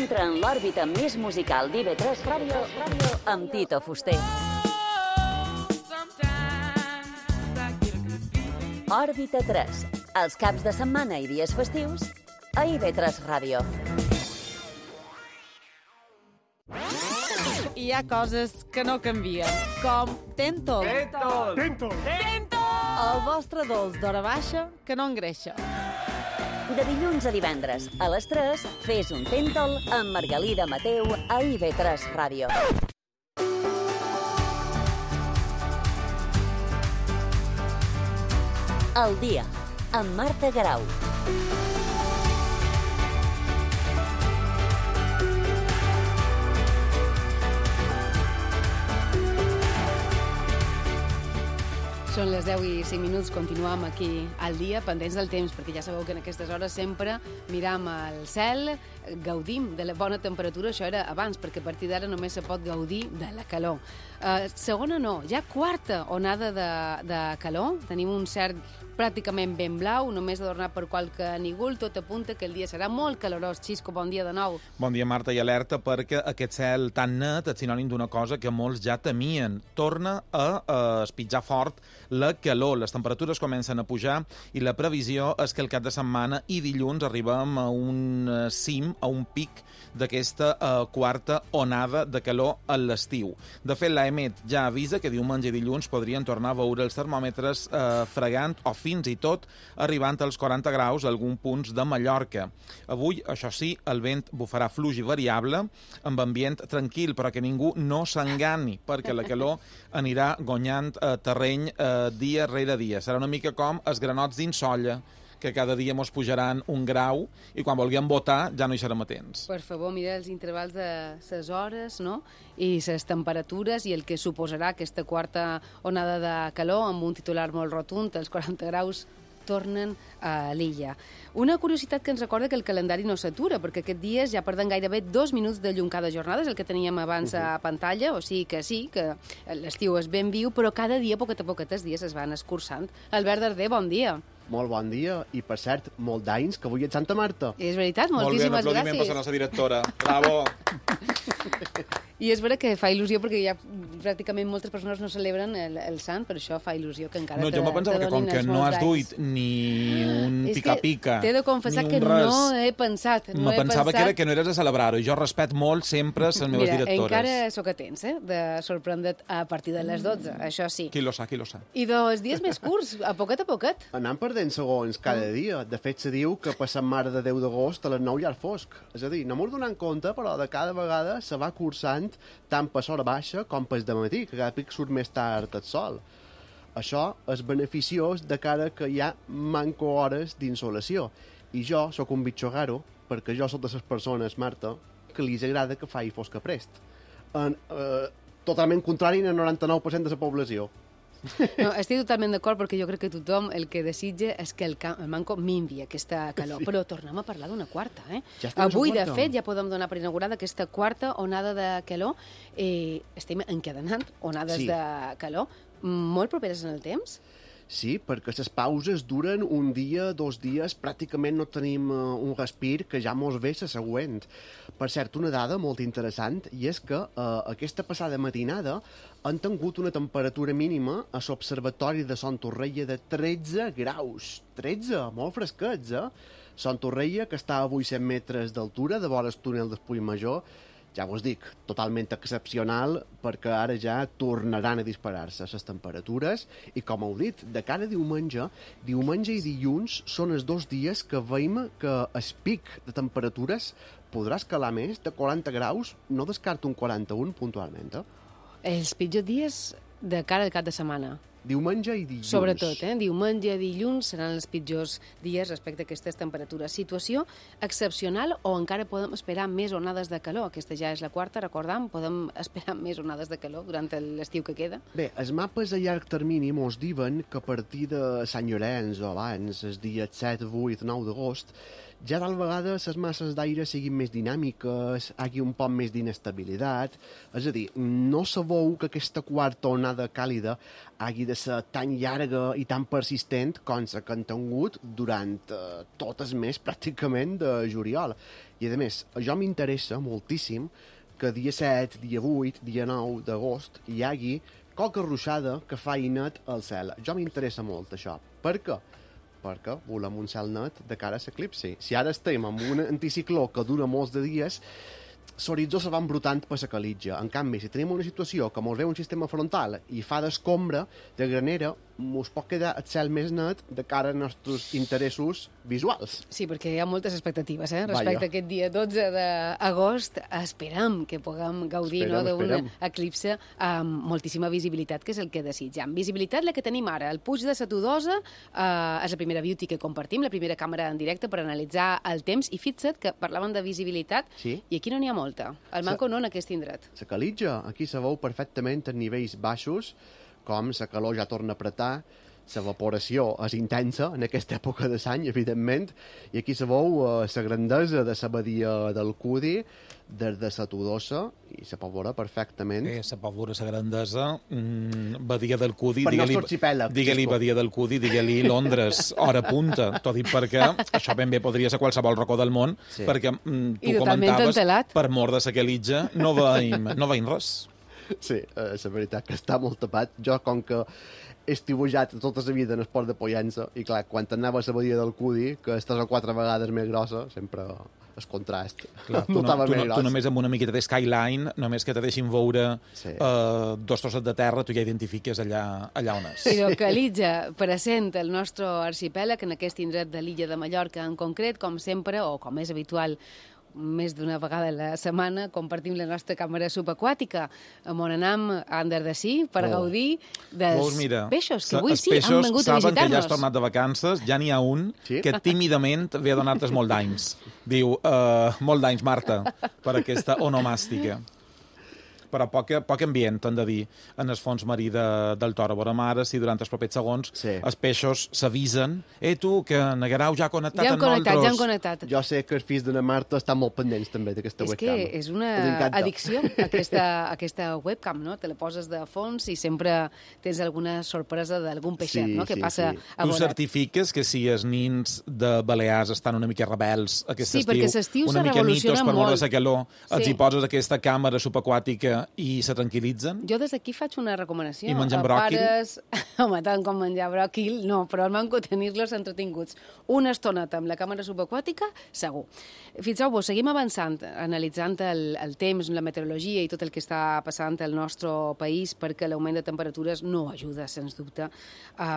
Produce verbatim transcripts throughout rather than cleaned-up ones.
Entra en l'òrbita més musical d'I V tres Ràdio amb Tito Fuster. Òrbita tres, els caps de setmana i dies festius a I V tres Ràdio. Hi ha coses que no canvien, com Tentol. Tentol! Tentol! Tentol! El vostre dolç d'hora baixa que no engreixa. De dilluns a divendres, a les tres, fes un Tentol amb Margalida Mateu a I V tres Ràdio. El dia, amb Marta Garau. Són les deu i cinc minuts, continuem aquí al dia, pendents del temps, perquè ja sabeu que en aquestes hores sempre miram al cel, gaudim de la bona temperatura, això era abans, perquè a partir d'ara només se pot gaudir de la calor. Uh, segona no, ja quarta onada de, de calor, tenim un cert pràcticament ben blau, només adornat per qualque nígol, tot apunta que el dia serà molt calorós. Xisco, bon dia de nou. Bon dia, Marta, i alerta perquè aquest cel tan net és sinònim d'una cosa que molts ja temien. Torna a, a espitjar fort la calor, les temperatures comencen a pujar i la previsió és que el cap de setmana i dilluns arribem a un cim, a un pic d'aquesta uh, quarta onada de calor a l'estiu. De fet, l'AEMET ja avisa que diumenge i dilluns podrien tornar a veure els termòmetres uh, fregant o fins i tot arribant als quaranta graus a alguns punts de Mallorca. Avui, això sí, el vent bufarà fluix i variable, amb ambient tranquil, però que ningú no s'engani, perquè la calor anirà guanyant uh, terreny uh, dia rere dia. Serà una mica com els granots d'insolla, que cada dia mos pujaran un grau i quan vulguem votar ja no hi serem atents. Per favor, mira els intervals de ses hores, no?, i ses temperatures i el que suposarà aquesta quarta onada de calor amb un titular molt rotund, els quaranta graus tornen a l'illa. Una curiositat que ens recorda que el calendari no s'atura, perquè aquests dies ja perden gairebé dos minuts de llum cada jornada, és el que teníem abans uh -huh. a pantalla, o sigui que sí, que l'estiu és ben viu, però cada dia, poquet a poquet, els dies es van escurçant. Albert Darder, bon dia. Molt bon dia, i per cert, molt d'anys, que avui ets Santa Marta. És veritat, moltíssimes gràcies. Molt bé, un aplaudiment per la nostra directora. Bravo! I és vera que fa il·lusió, perquè ja pràcticament moltes persones no celebren el, el sant, per això fa il·lusió que encara no, te, jo me pensava que com que no has duit ni un pica-pica, t'he de confessar que res, no he pensat. No me he pensava pensat... que era que no eres a celebrar-ho, i jo respecto molt sempre les meves Mira, directores. encara sóc a temps, eh, de sorprendre't a partir de les dotze, això sí. Qui lo sa, qui lo sa. I dels dies més curts, a poquet a poquet. Anant perdent segons cada dia. De fet, se diu que passant Mare de Déu d'agost a les nou ja és fosc. És a dir, no m'ho donant compte, però de cada vegada se va cursant tant per l'hora baixa com per de matí, que cada pic surt més tard el sol. Això és beneficiós de cara que hi ha manco hores d'insolació. I jo sóc un bitxogaro, perquè jo soc de les persones, Marta, que li agrada que faci fosca prest. En, eh, totalment contrari al noranta-nou per cent de la població. No, estic totalment d'acord, perquè jo crec que tothom el que desitja és que el, el manco minvi aquesta calor. Sí. Però tornem a parlar d'una quarta, eh? Ja Avui, de fet, ja podem donar per inaugurada aquesta quarta onada de calor. Eh, estem encadenant onades sí. de calor molt properes en el temps. Sí, perquè les pauses duren un dia, dos dies, pràcticament no tenim uh, un respir que ja mos ve la següent. Per cert, una dada molt interessant, i és que uh, aquesta passada matinada han tingut una temperatura mínima a l'Observatori de Son Torrella de tretze graus. tretze, molt fresquets, eh? Son Torrella, que està a vuit-cents metres d'altura, de vora el túnel d'Espull Major, ja vos dic, totalment excepcional, perquè ara ja tornaran a disparar-se les temperatures, i com heu dit, de cada diumenge, diumenge i dilluns són els dos dies que veiem que el pic de temperatures podrà escalar més de quaranta graus, no descarto un quaranta-un puntualment, eh? Els pitjors dies de cara al cap de setmana. Diumenge i dilluns. Sobretot, eh? Diumenge i dilluns seran els pitjors dies respecte a aquestes temperatures. Situació excepcional, o encara podem esperar més onades de calor? Aquesta ja és la quarta, recordam, podem esperar més onades de calor durant l'estiu que queda? Bé, els mapes a llarg termini mos diuen que a partir de Sant Llorenç o abans, els dies set, vuit, nou d'agost, ja tal vegada les masses d'aire siguin més dinàmiques, hi hagi un poc més d'inestabilitat. És a dir, no sabeu que aquesta quarta onada càlida hagi de ser tan llarga i tan persistent com la que han tingut durant uh, tot el mes pràcticament de juliol. I a més, jo m'interessa moltíssim que dia set, dia vuit, dia nou d'agost hi hagi qualque ruixada que fa net al cel. Jo m'interessa molt això. Per què? Perquè volem un cel net de cara a l'eclipsi. Si ara estem amb un anticicló que dura molts de dies, l'horitzó se va embrutant per la calitja. En canvi, si tenim una situació que mos ve un sistema frontal i fa d'escombra, de granera, mos pot quedar el cel més net de cara als nostres interessos visuals. Sí, perquè hi ha moltes expectatives, eh? Respecte Vaja. a aquest dia dotze d'agost, esperam que puguem gaudir Esperem, no, d'un esperem. eclipse amb moltíssima visibilitat, que és el que desitjam. Visibilitat la que tenim ara. El Puig de la Tudosa eh, és la primera beauty que compartim, la primera càmera en directe per analitzar el temps, i fixa't que parlaven de visibilitat, Sí. i aquí no n'hi ha molta. El manco no en aquest indret. La calitja, aquí se veu perfectament en nivells baixos, com la calor ja torna a apretar, l'evaporació és intensa en aquesta època de l'any, evidentment, i aquí se veu eh, la grandesa de la badia del Cudi des de la Tudosa, i se pot veure perfectament. Eh, se pot veure la grandesa. Mm, badia del Cudi, Per digue-li nostre arxipèlag, digue-li sisplau. Badia del Cudi, digue-li Londres, hora punta. T'ho dic perquè això ben bé podria ser qualsevol racó del món, Sí. perquè mm, tu I totalment comentaves, entelat. per mort de la quelitja, no veiem, no veiem res. Sí, eh, la veritat que està molt tapat. Jo, com que he estiuejat tota la vida en esport de Pollença, i clar, quan anava a la badia del Cudi, que és tres o quatre vegades més grossa, sempre el contrast. Clar, tu, no, notava tu, més no, gros. tu només amb una miqueta de skyline, només que te deixin veure Sí. eh, dos trossos de terra, tu ja identifiques allà, allà on és. Però que l'Illa present el nostre arxipèlag en aquest indret de l'illa de Mallorca en concret, com sempre, o com és habitual, més d'una vegada a la setmana, compartim la nostra càmera subaquàtica amb on anam a Andardasí per Oh. gaudir dels Doncs mira, peixos, que sa- avui els sí han peixos vengut a saben que ja has visitar-nos. tornat de vacances, ja n'hi ha un Sí? que tímidament ve a donar-te molt d'anys. Diu, uh, molt d'anys, Marta, per aquesta onomàstica. Però poc, poc ambient, t'han de dir, en el fons marí de, del Toro. Veurem ara si durant els propers segons Sí. els peixos s'avisen. Eh, tu, que Negarau ja ha connectat Ja hem amb connectat, nosaltres. ja hem connectat. Jo sé que els fills d'una Marta estan molt pendents també d'aquesta És webcam. que és una Els encanta. addicció, aquesta, aquesta webcam, no? Te la poses de fons i sempre tens alguna sorpresa d'algun peixet, Sí, no? Que sí, passa sí. a Tu volar. certifiques que si els nins de Balears estan una mica rebels aquest Sí, perquè l'estiu una se mica nitos revoluciona per mort molt. de la calor, els Sí. hi poses aquesta càmera subaquàtica i se tranquil·litzen? Jo des d'aquí faig una recomanació. I mengen a bròquil? Pares... Home, tant com menjar bròquil, no, però el manco tenir-los entretinguts. Una estoneta amb la càmera subaquàtica, segur. Fixeu-vos, seguim avançant, analitzant el, el temps, la meteorologia i tot el que està passant al nostre país, perquè l'augment de temperatures no ajuda, sens dubte, a,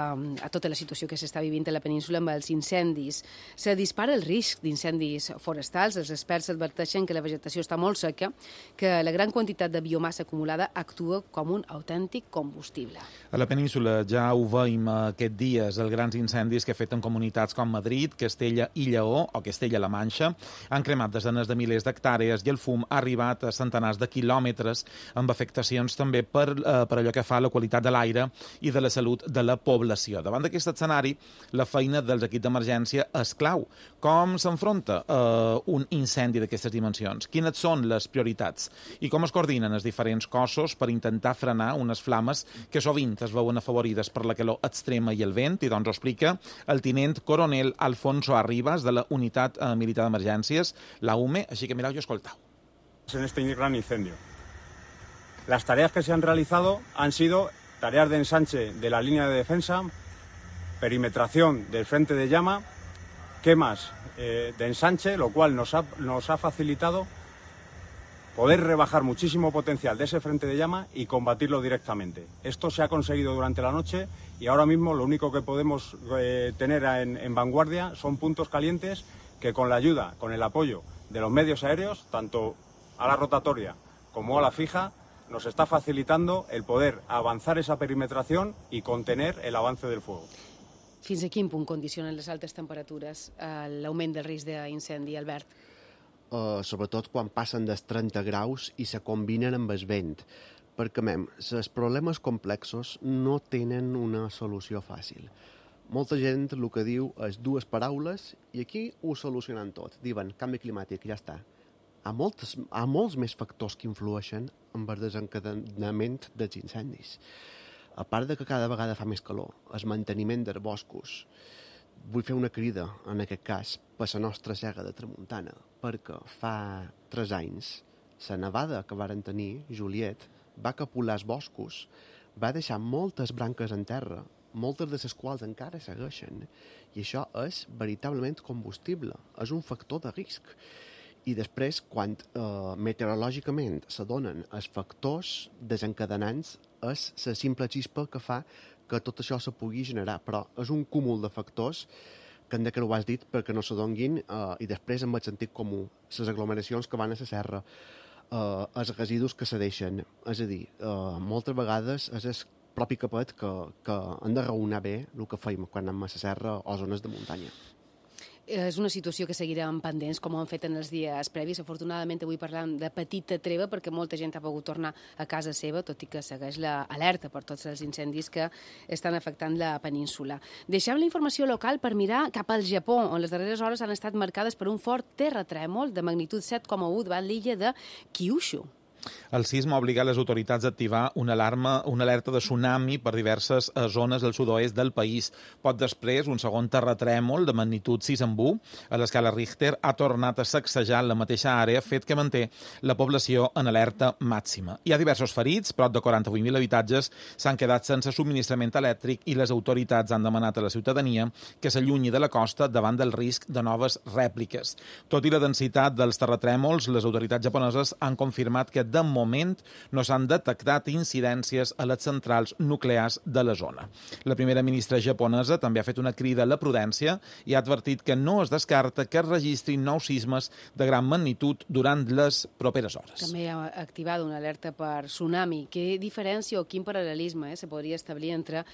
a tota la situació que s'està vivint a la península amb els incendis. Se dispara el risc d'incendis forestals. Els experts adverteixen que la vegetació està molt seca, que la gran quantitat de biomassa acumulada actua com un autèntic combustible. A la península ja ho veiem aquest dies, els grans incendis que afecten comunitats com Madrid, Castella i Lleó, o Castella-La Manxa, han cremat desenes de milers d'hectàrees i el fum ha arribat a centenars de quilòmetres, amb afectacions també per, eh, per allò que fa a la qualitat de l'aire i de la salut de la població. Davant d'aquest escenari, la feina dels equips d'emergència és clau. Com s'enfronta eh, un incendi d'aquestes dimensions? Quines són les prioritats? I com es coordinen els diferents cossos per intentar frenar unes flames que sovint es veuen afavorides per la calor extrema i el vent? I doncs ho explica el tinent coronel Alfonso Arribas, de la Unitat eh, Militar d'Emergències, la U M E, així que mireu i escoltau. En este gran incendio. Las tareas que se han realizado han sido tareas de ensanche de la línea de defensa, perimetración del frente de llama, quemas eh, de ensanche, lo cual nos ha, nos ha facilitado poder rebajar muchísimo potencial de ese frente de llama y combatirlo directamente. Esto se ha conseguido durante la noche y ahora mismo lo único que podemos eh, tener en, en vanguardia son puntos calientes que con la ayuda, con el apoyo de los medios aéreos, tanto a la rotatoria como a la fija, nos está facilitando el poder avanzar esa perimetración y contener el avance del fuego. Fins a quin punt condicionen les altes temperatures eh, l'augment del risc d'incendi, Albert? Uh, sobretot quan passen dels trenta graus i se combinen amb el vent. Perquè, mem, els problemes complexos no tenen una solució fàcil. Molta gent el que diu és dues paraules i aquí ho solucionen tot. Diuen canvi climàtic, ja està. Hi ha, moltes, hi ha molts més factors que influeixen en el desencadenament dels incendis. A part de que cada vegada fa més calor, el manteniment dels boscos, vull fer una crida, en aquest cas, per la nostra Sega de Tramuntana, perquè fa tres anys la nevada que varen tenir, Juliet, va capolar els boscos, va deixar moltes branques en terra, moltes de les quals encara segueixen, i això és veritablement combustible, és un factor de risc. I després, quan eh, meteorològicament s'adonen els factors desencadenants, és la simple xispa que fa que tot això se pugui generar, però és un cúmul de factors que hem de que ho has dit perquè no s'adonguin, eh, i després amb el sentit comú, les aglomeracions que van a la serra, eh, els residus que se deixen, és a dir, eh, moltes vegades és el propi capet que, que hem de raonar bé el que feim quan anem a la serra o zones de muntanya. És una situació que seguirem pendents, com ho han fet en els dies previs. Afortunadament, avui parlam de petita treva, perquè molta gent ha pogut tornar a casa seva, tot i que segueix l'alerta per tots els incendis que estan afectant la península. Deixem la informació local per mirar cap al Japó, on les darreres hores han estat marcades per un fort terratrèmol de magnitud set coma u davant l'illa de Kyushu. El sisme ha obligat les autoritats a activar una alarma, una alerta de tsunami per diverses zones del sud-oest del país. Poc després, un segon terratrèmol de magnitud sis coma u a l'escala Richter ha tornat a sacsejar la mateixa àrea, fet que manté la població en alerta màxima. Hi ha diversos ferits, prop de quaranta-vuit mil habitatges s'han quedat sense subministrament elèctric i les autoritats han demanat a la ciutadania que s'allunyi de la costa davant del risc de noves rèpliques. Tot i la densitat dels terratrèmols, les autoritats japoneses han confirmat que de moment no s'han detectat incidències a les centrals nuclears de la zona. La primera ministra japonesa també ha fet una crida a la prudència i ha advertit que no es descarta que es registrin nous sismes de gran magnitud durant les properes hores. També ha activat una alerta per tsunami. Què diferència o quin paral·lelisme eh, se podria establir entre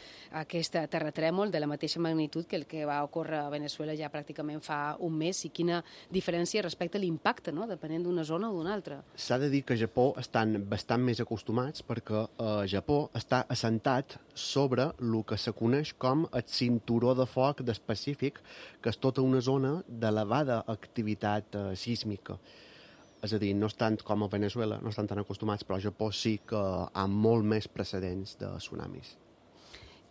aquest terratrèmol de la mateixa magnitud que el que va ocórrer a Venezuela ja pràcticament fa un mes i quina diferència respecte a l'impacte, no?, depenent d'una zona o d'una altra? S'ha de dir que Japó estan bastant més acostumats perquè eh, Japó està assentat sobre el que se coneix com el cinturó de foc del Pacífic, que és tota una zona d'elevada activitat eh, sísmica. És a dir, no estan com a Venezuela, no estan tan acostumats, però a Japó sí que hi ha molt més precedents de tsunamis.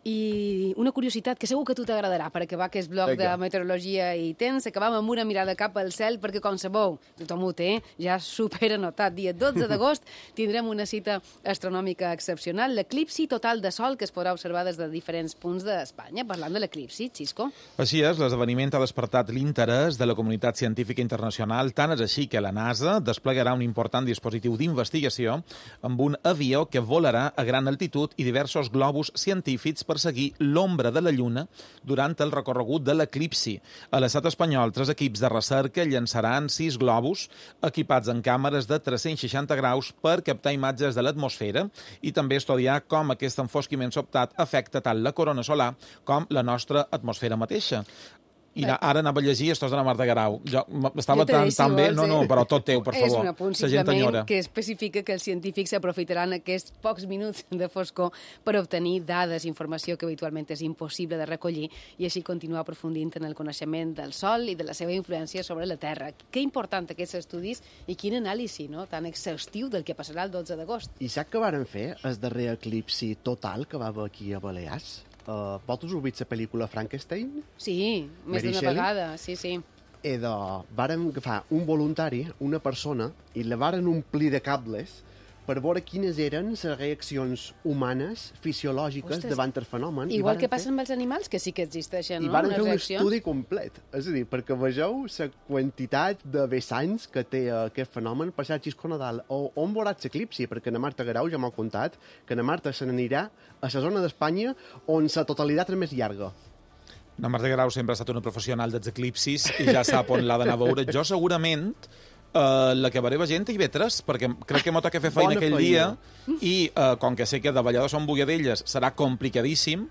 I una curiositat que segur que a tu t'agradarà per acabar aquest bloc Vinga. de meteorologia i temps. Acabam amb una mirada cap al cel perquè, com sabeu, tothom ho té, ja supera notat. Dia dotze d'agost tindrem una cita astronòmica excepcional, l'eclipsi total de sol que es podrà observar des de diferents punts d'Espanya. Parlant de l'eclipsi, Xisco. Així és, l'esdeveniment ha despertat l'interès de la comunitat científica internacional, tant és així que la NASA desplegarà un important dispositiu d'investigació amb un avió que volarà a gran altitud i diversos globus científics per seguir l'ombra de la Lluna durant el recorregut de l'eclipsi. A l'estat espanyol, tres equips de recerca llançaran sis globus equipats en càmeres de tres-cents seixanta graus per captar imatges de l'atmosfera i també estudiar com aquest enfosquiment sobtat afecta tant la corona solar com la nostra atmosfera mateixa. I ara anava a llegir estos de la Marta Garau. Jo estava tan, tan bé, no, no, però tot teu, per favor. És un apunt simplement que especifica que els científics aprofitaran aquests pocs minuts de foscor per obtenir dades, informació que habitualment és impossible de recollir i així continuar aprofundint en el coneixement del Sol i de la seva influència sobre la Terra. Que important aquests estudis i quin anàlisi, no?, tan exhaustiu del que passarà el dotze d'agost. I sap que varen fer el darrer eclipsi total que va haver aquí a Balears? Uh, vosaltres heu vist la pel·lícula Frankenstein? Sí, més d'una vegada, sí, sí. I de, vàrem agafar un voluntari, una persona, i la varen omplir de cables per veure quines eren les reaccions humanes, fisiològiques, Ostres, davant el fenomen. Igual que passa amb els animals, que sí que existeixen, I no?, varen les fer un reaccions. estudi complet. És a dir, perquè vegeu la quantitat de vessants que té aquest fenomen. Per cert, Xisco Nadal, on veuràs l'eclipsi? Perquè na Marta Garau ja m'ha contat que na Marta se n'anirà a la zona d'Espanya on la totalitat és més llarga. Na Marta Garau sempre ha estat una professional dels eclipsis i ja sap on l'ha d'anar a veure. Jo segurament Uh, la que veuré gent i vetres, perquè crec que m'ho toca fer feina Bona aquell feina. dia i uh, com que sé que de Vallada són Bogadelles serà complicadíssim,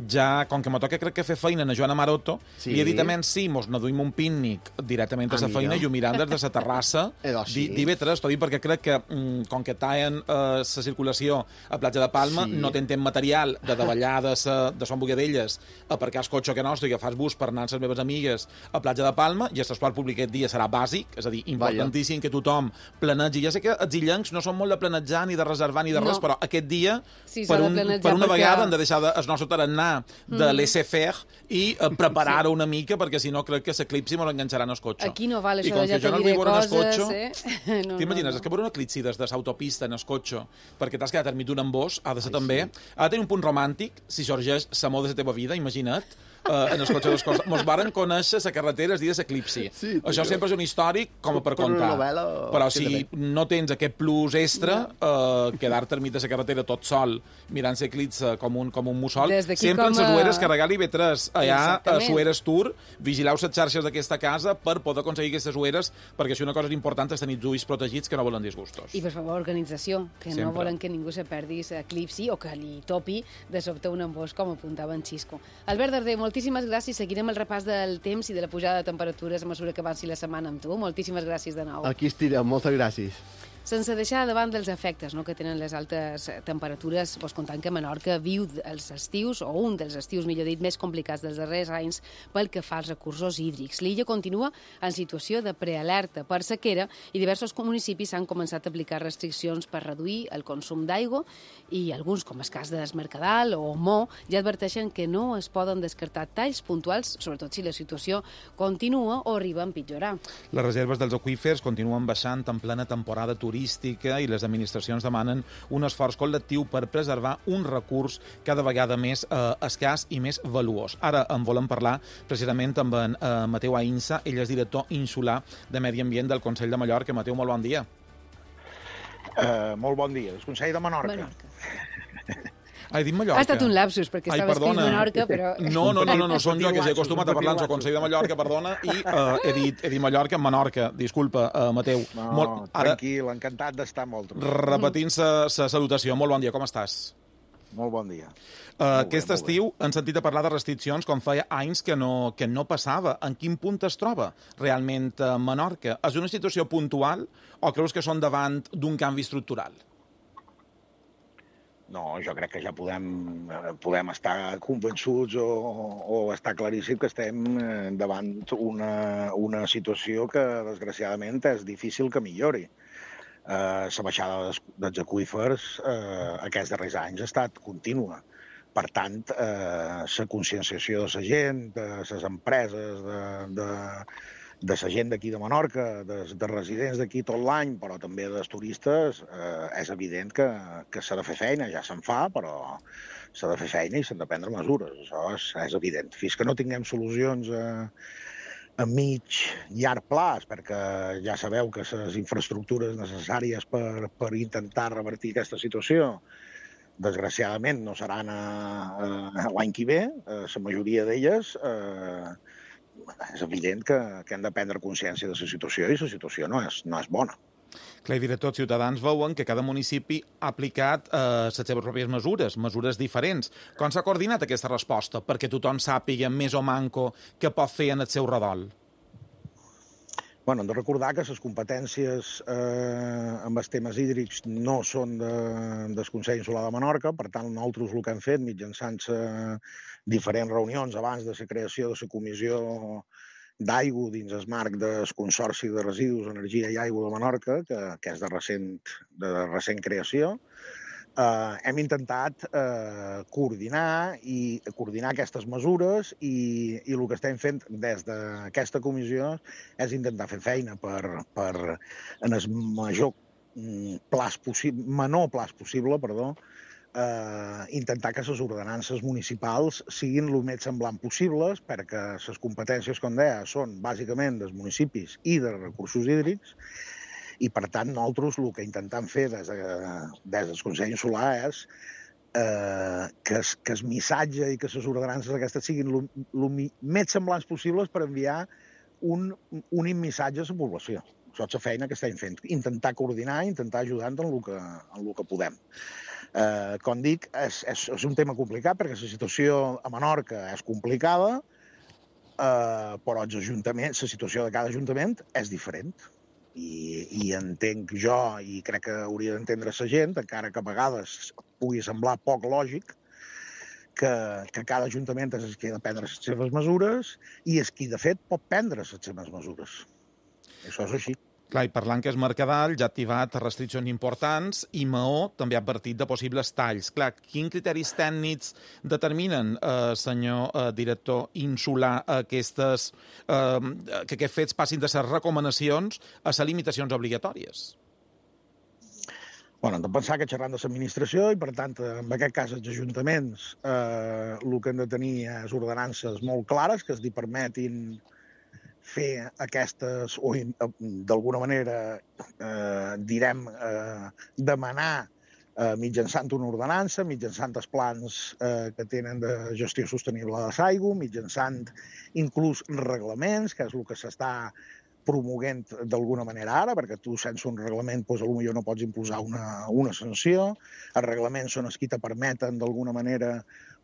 ja com que m'ho toca crec que fer feina a Joana Maroto, sí. li he dit a menys sí, mos n'aduïm un pícnic directament a la feina i ho mirant des de la terrassa sí. d'Ivetres, t'ho dic perquè crec que mm, com que tallen la uh, circulació a Platja de Palma, sí. no tenen material de davallar de, sa, de Son Bogadelles a aparcar el cotxe que nostre i agafar el bus per anar amb les meves amigues a Platja de Palma, i el transport públic aquest dia serà bàsic, és a dir, importantíssim. importantíssim que tothom planegi. Ja sé que els illencs no són molt de planejar ni de reservar ni de res, No. però aquest dia, Sí, per, s'ha de un, planejar per una perquè- vegada, hem de deixar de, el nostre tarannà de Mm. laissez-faire i eh, preparar-ho una mica, perquè si no crec que l'eclipsi mos enganxaran el cotxe. Aquí no val I això com de ja que jo te no diré vull veure el coses, cotxe, eh? No, t'imagines? no, És que veure un eclipsi des de l'autopista en el cotxe, perquè t'has quedat enmig d'un embós, ha de ser també... Ha de tenir un punt romàntic, si sorgeix l'amor de la teva vida, imagina't, eh, en els cotxes dels costats. Mos varen conèixer la carretera el dia de l'eclipsi. Sí, Això però- sempre és un històric com per Per una contar. novel·la Però queda si bé. no tens aquest plus extra, eh, quedar-te enmig de la carretera tot sol, mirant l'eclipsi com un, com un mussol, Des d'aquí sempre en com les a- Sueres, carregar-li B tres allà a Exactament. Sueres Tour, vigileu les xarxes d'aquesta casa per poder aconseguir aquestes Sueres, perquè si una cosa important és tenir els ulls protegits que no volen disgustos. I, per favor, organització, que Sempre. no volen que ningú se perdi l'eclipsi o que li topi de sobte un embós, com apuntava en Xisco. Albert Darder, moltíssimes gràcies. Seguirem el repàs del temps i de la pujada de temperatures a mesura que avanci la setmana amb tu. Moltíssimes gràcies de nou. Aquí estirem, moltes gràcies. Sense deixar davant dels efectes no, que tenen les altes temperatures, vos contant que Menorca viu els estius, o un dels estius, millor dit, més complicats dels darrers anys pel que fa als recursos hídrics. L'illa continua en situació de prealerta per sequera i diversos municipis han començat a aplicar restriccions per reduir el consum d'aigua i alguns, com el cas de Mercadal o Mo, ja adverteixen que no es poden descartar talls puntuals, sobretot si la situació continua o arriba a empitjorar. Les reserves dels aqüífers continuen baixant en plena temporada turística i les administracions demanen un esforç col·lectiu per preservar un recurs cada vegada més eh, escàs i més valuós. Ara en volem parlar precisament amb en eh, Mateu Ainsa, ell és director insular de Medi Ambient del Consell de Mallorca. Mateu, molt bon dia. Uh, molt bon dia. El Consell de Menorca. Menorca. Ah, he dit Mallorca. Ha estat un lapsus, perquè Ai, estava escrit perdona. Menorca, però... No, no, no, no, no som jo, que s'he acostumat a parlar en el lapsus, Consell de Mallorca, perdona, i uh, he, dit, he dit Mallorca, Menorca. Disculpa, uh, Mateu. No, Molt, ara, tranquil, encantat d'estar amb vosaltres. repetint sa salutació, molt bon dia, com estàs? Molt bon dia. Uh, bé, aquest molt estiu han sentit a parlar de restriccions com feia anys que no, que no passava. En quin punt es troba realment uh, Menorca? És una situació puntual o creus que són davant d'un canvi estructural? No, jo crec que ja podem, eh, podem estar convençuts o, o estar claríssim que estem eh, davant una, una situació que, desgraciadament, és difícil que millori. Eh, la baixada dels, dels aqüífers eh, aquests darrers anys ha estat contínua. Per tant, eh, la conscienciació de la gent, de les empreses, de, de, de la gent d'aquí de Menorca, de, de residents d'aquí tot l'any, però també dels turistes, eh, és evident que, que s'ha de fer feina, ja se'n fa, però s'ha de fer feina i s'han de prendre mesures, això és, és evident. Fins que no tinguem solucions a, a mig, llarg plaç, perquè ja sabeu que les infraestructures necessàries per, per intentar revertir aquesta situació desgraciadament no seran a, a, l'any que ve, eh, la majoria d'elles, eh, és evident que, que hem de prendre consciència de la situació i la situació no és, no és bona. Clar, i director, els ciutadans veuen que cada municipi ha aplicat eh, les seves pròpies mesures, mesures diferents. Com s'ha coordinat aquesta resposta perquè tothom sàpiga més o manco què pot fer en el seu redol? Bueno, hem de recordar que les competències eh, amb els temes hídrics no són de, del Consell Insular de Menorca, per tant, nosaltres el que hem fet mitjançant eh, diferents reunions abans de la creació de la comissió d'aigua dins el marc del Consorci de Residus, Energia i Aigua de Menorca, que, que és de recent, de recent creació, eh, hem intentat eh, coordinar i coordinar aquestes mesures i, i el que estem fent des d'aquesta comissió és intentar fer feina per, per en el major plaç possible, menor plaç possible, perdó, eh, intentar que les ordenances municipals siguin el més semblant possibles, perquè les competències, com deia, són bàsicament dels municipis i dels recursos hídrics, i per tant nosaltres el que intentem fer des, de, des del Consell Insular és eh, que, es, que el missatge i que les ordenances aquestes siguin el més semblants possibles per enviar un únic missatge a la població. Això és la feina que estem fent, intentar coordinar, intentar ajudar en el que, en el que podem. Eh, com dic, és, és, és un tema complicat perquè la situació a Menorca és complicada, eh, però els ajuntaments, la situació de cada ajuntament és diferent. I, i entenc jo, i crec que hauria d'entendre la gent, encara que a vegades pugui semblar poc lògic, que, que cada ajuntament és qui ha de prendre les seves mesures i és qui, de fet, pot prendre les seves mesures. Això és així. Clar, i parlant que és Mercadal, ja ha activat restriccions importants i Maó també ha advertit de possibles talls. Clar, quins criteris tècnics determinen, eh, senyor eh, director insular, aquestes, eh, que aquests fets passin de ser recomanacions a ser limitacions obligatòries? Bueno, hem de pensar que xerrant de l'administració i, per tant, en aquest cas els ajuntaments, eh, el que han de tenir és ordenances molt clares que es li permetin fer aquestes, o d'alguna manera, eh, direm, eh, demanar eh, mitjançant una ordenança, mitjançant els plans eh, que tenen de gestió sostenible de l'aigua, mitjançant inclús reglaments, que és el que s'està promoguent d'alguna manera ara, perquè tu sense un reglament doncs, potser no pots imposar una, una sanció. Els reglaments són els que te permeten d'alguna manera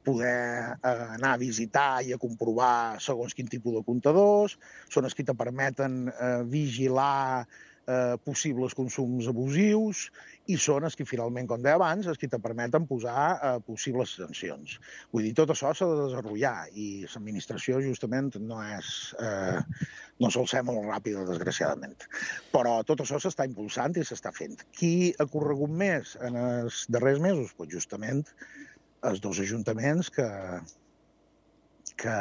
poder eh, anar a visitar i a comprovar segons quin tipus de comptadors, són els que te permeten eh, vigilar eh, possibles consums abusius i són els que finalment, com deia abans, els que te permeten posar eh, possibles sancions. Vull dir, tot això s'ha de desenvolupar i l'administració justament no és... Eh, no sol ser molt ràpida, desgraciadament. Però tot això s'està impulsant i s'està fent. Qui ha corregut més en els darrers mesos? Pues justament els dos ajuntaments que, que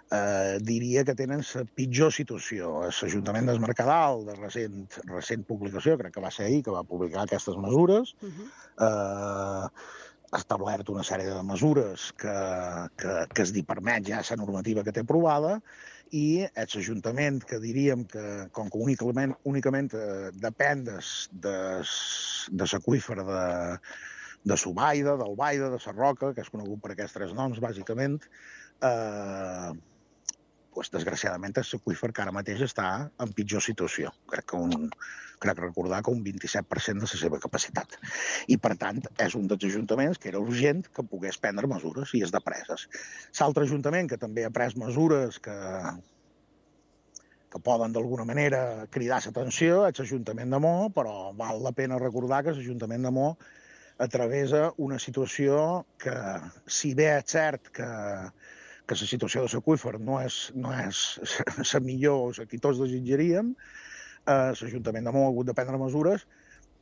eh, diria que tenen la pitjor situació. L'Ajuntament del Mercadal, de recent, recent publicació, crec que va ser ahir, que va publicar aquestes mesures, uh-huh. eh, ha establert una sèrie de mesures que, que, que es li permet ja la normativa que té aprovada, i és l'Ajuntament que diríem que, com que únicament, únicament eh, depèn de, de, de l'aqüífer de, de Subaida, del Baida, de la Roca, que és conegut per aquests tres noms, bàsicament, eh, pues, desgraciadament és l'aqüífer que ara mateix està en pitjor situació. Crec que un, crec recordar que un vint-i-set per cent de la seva capacitat. I, per tant, és un dels ajuntaments que era urgent que pogués prendre mesures i és de preses. L'altre ajuntament que també ha pres mesures que, que poden d'alguna manera cridar l'atenció és l'Ajuntament de Maó, però val la pena recordar que l'Ajuntament de Maó atravessa una situació que, si bé és cert que que la situació de l'aqüífer no és, no és la millor, la que tots desitjaríem, eh, l'Ajuntament de Maó ha hagut de prendre mesures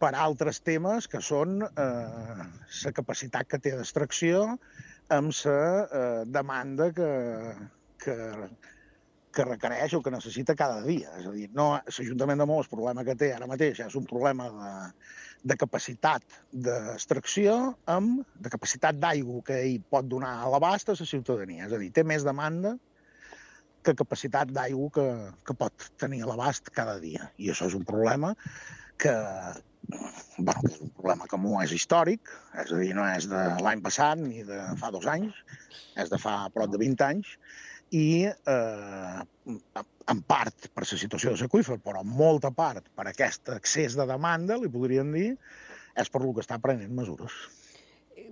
per altres temes que són eh, la capacitat que té d'extracció amb la eh, demanda que, que, que requereix o que necessita cada dia. És a dir, no, l'Ajuntament de Maó, el problema que té ara mateix és un problema de, de capacitat d'extracció amb de capacitat d'aigua que ell pot donar a l'abast a la ciutadania. És a dir, té més demanda que capacitat d'aigua que, que pot tenir a l'abast cada dia. I això és un problema que, bueno, que és un problema que no és històric, és a dir, no és de l'any passat ni de fa dos anys, és de fa prop de vint anys, i eh, en part per la situació de l'aqüífer, però en molta part per aquest excés de demanda, li podríem dir, és per el que està prenent mesures.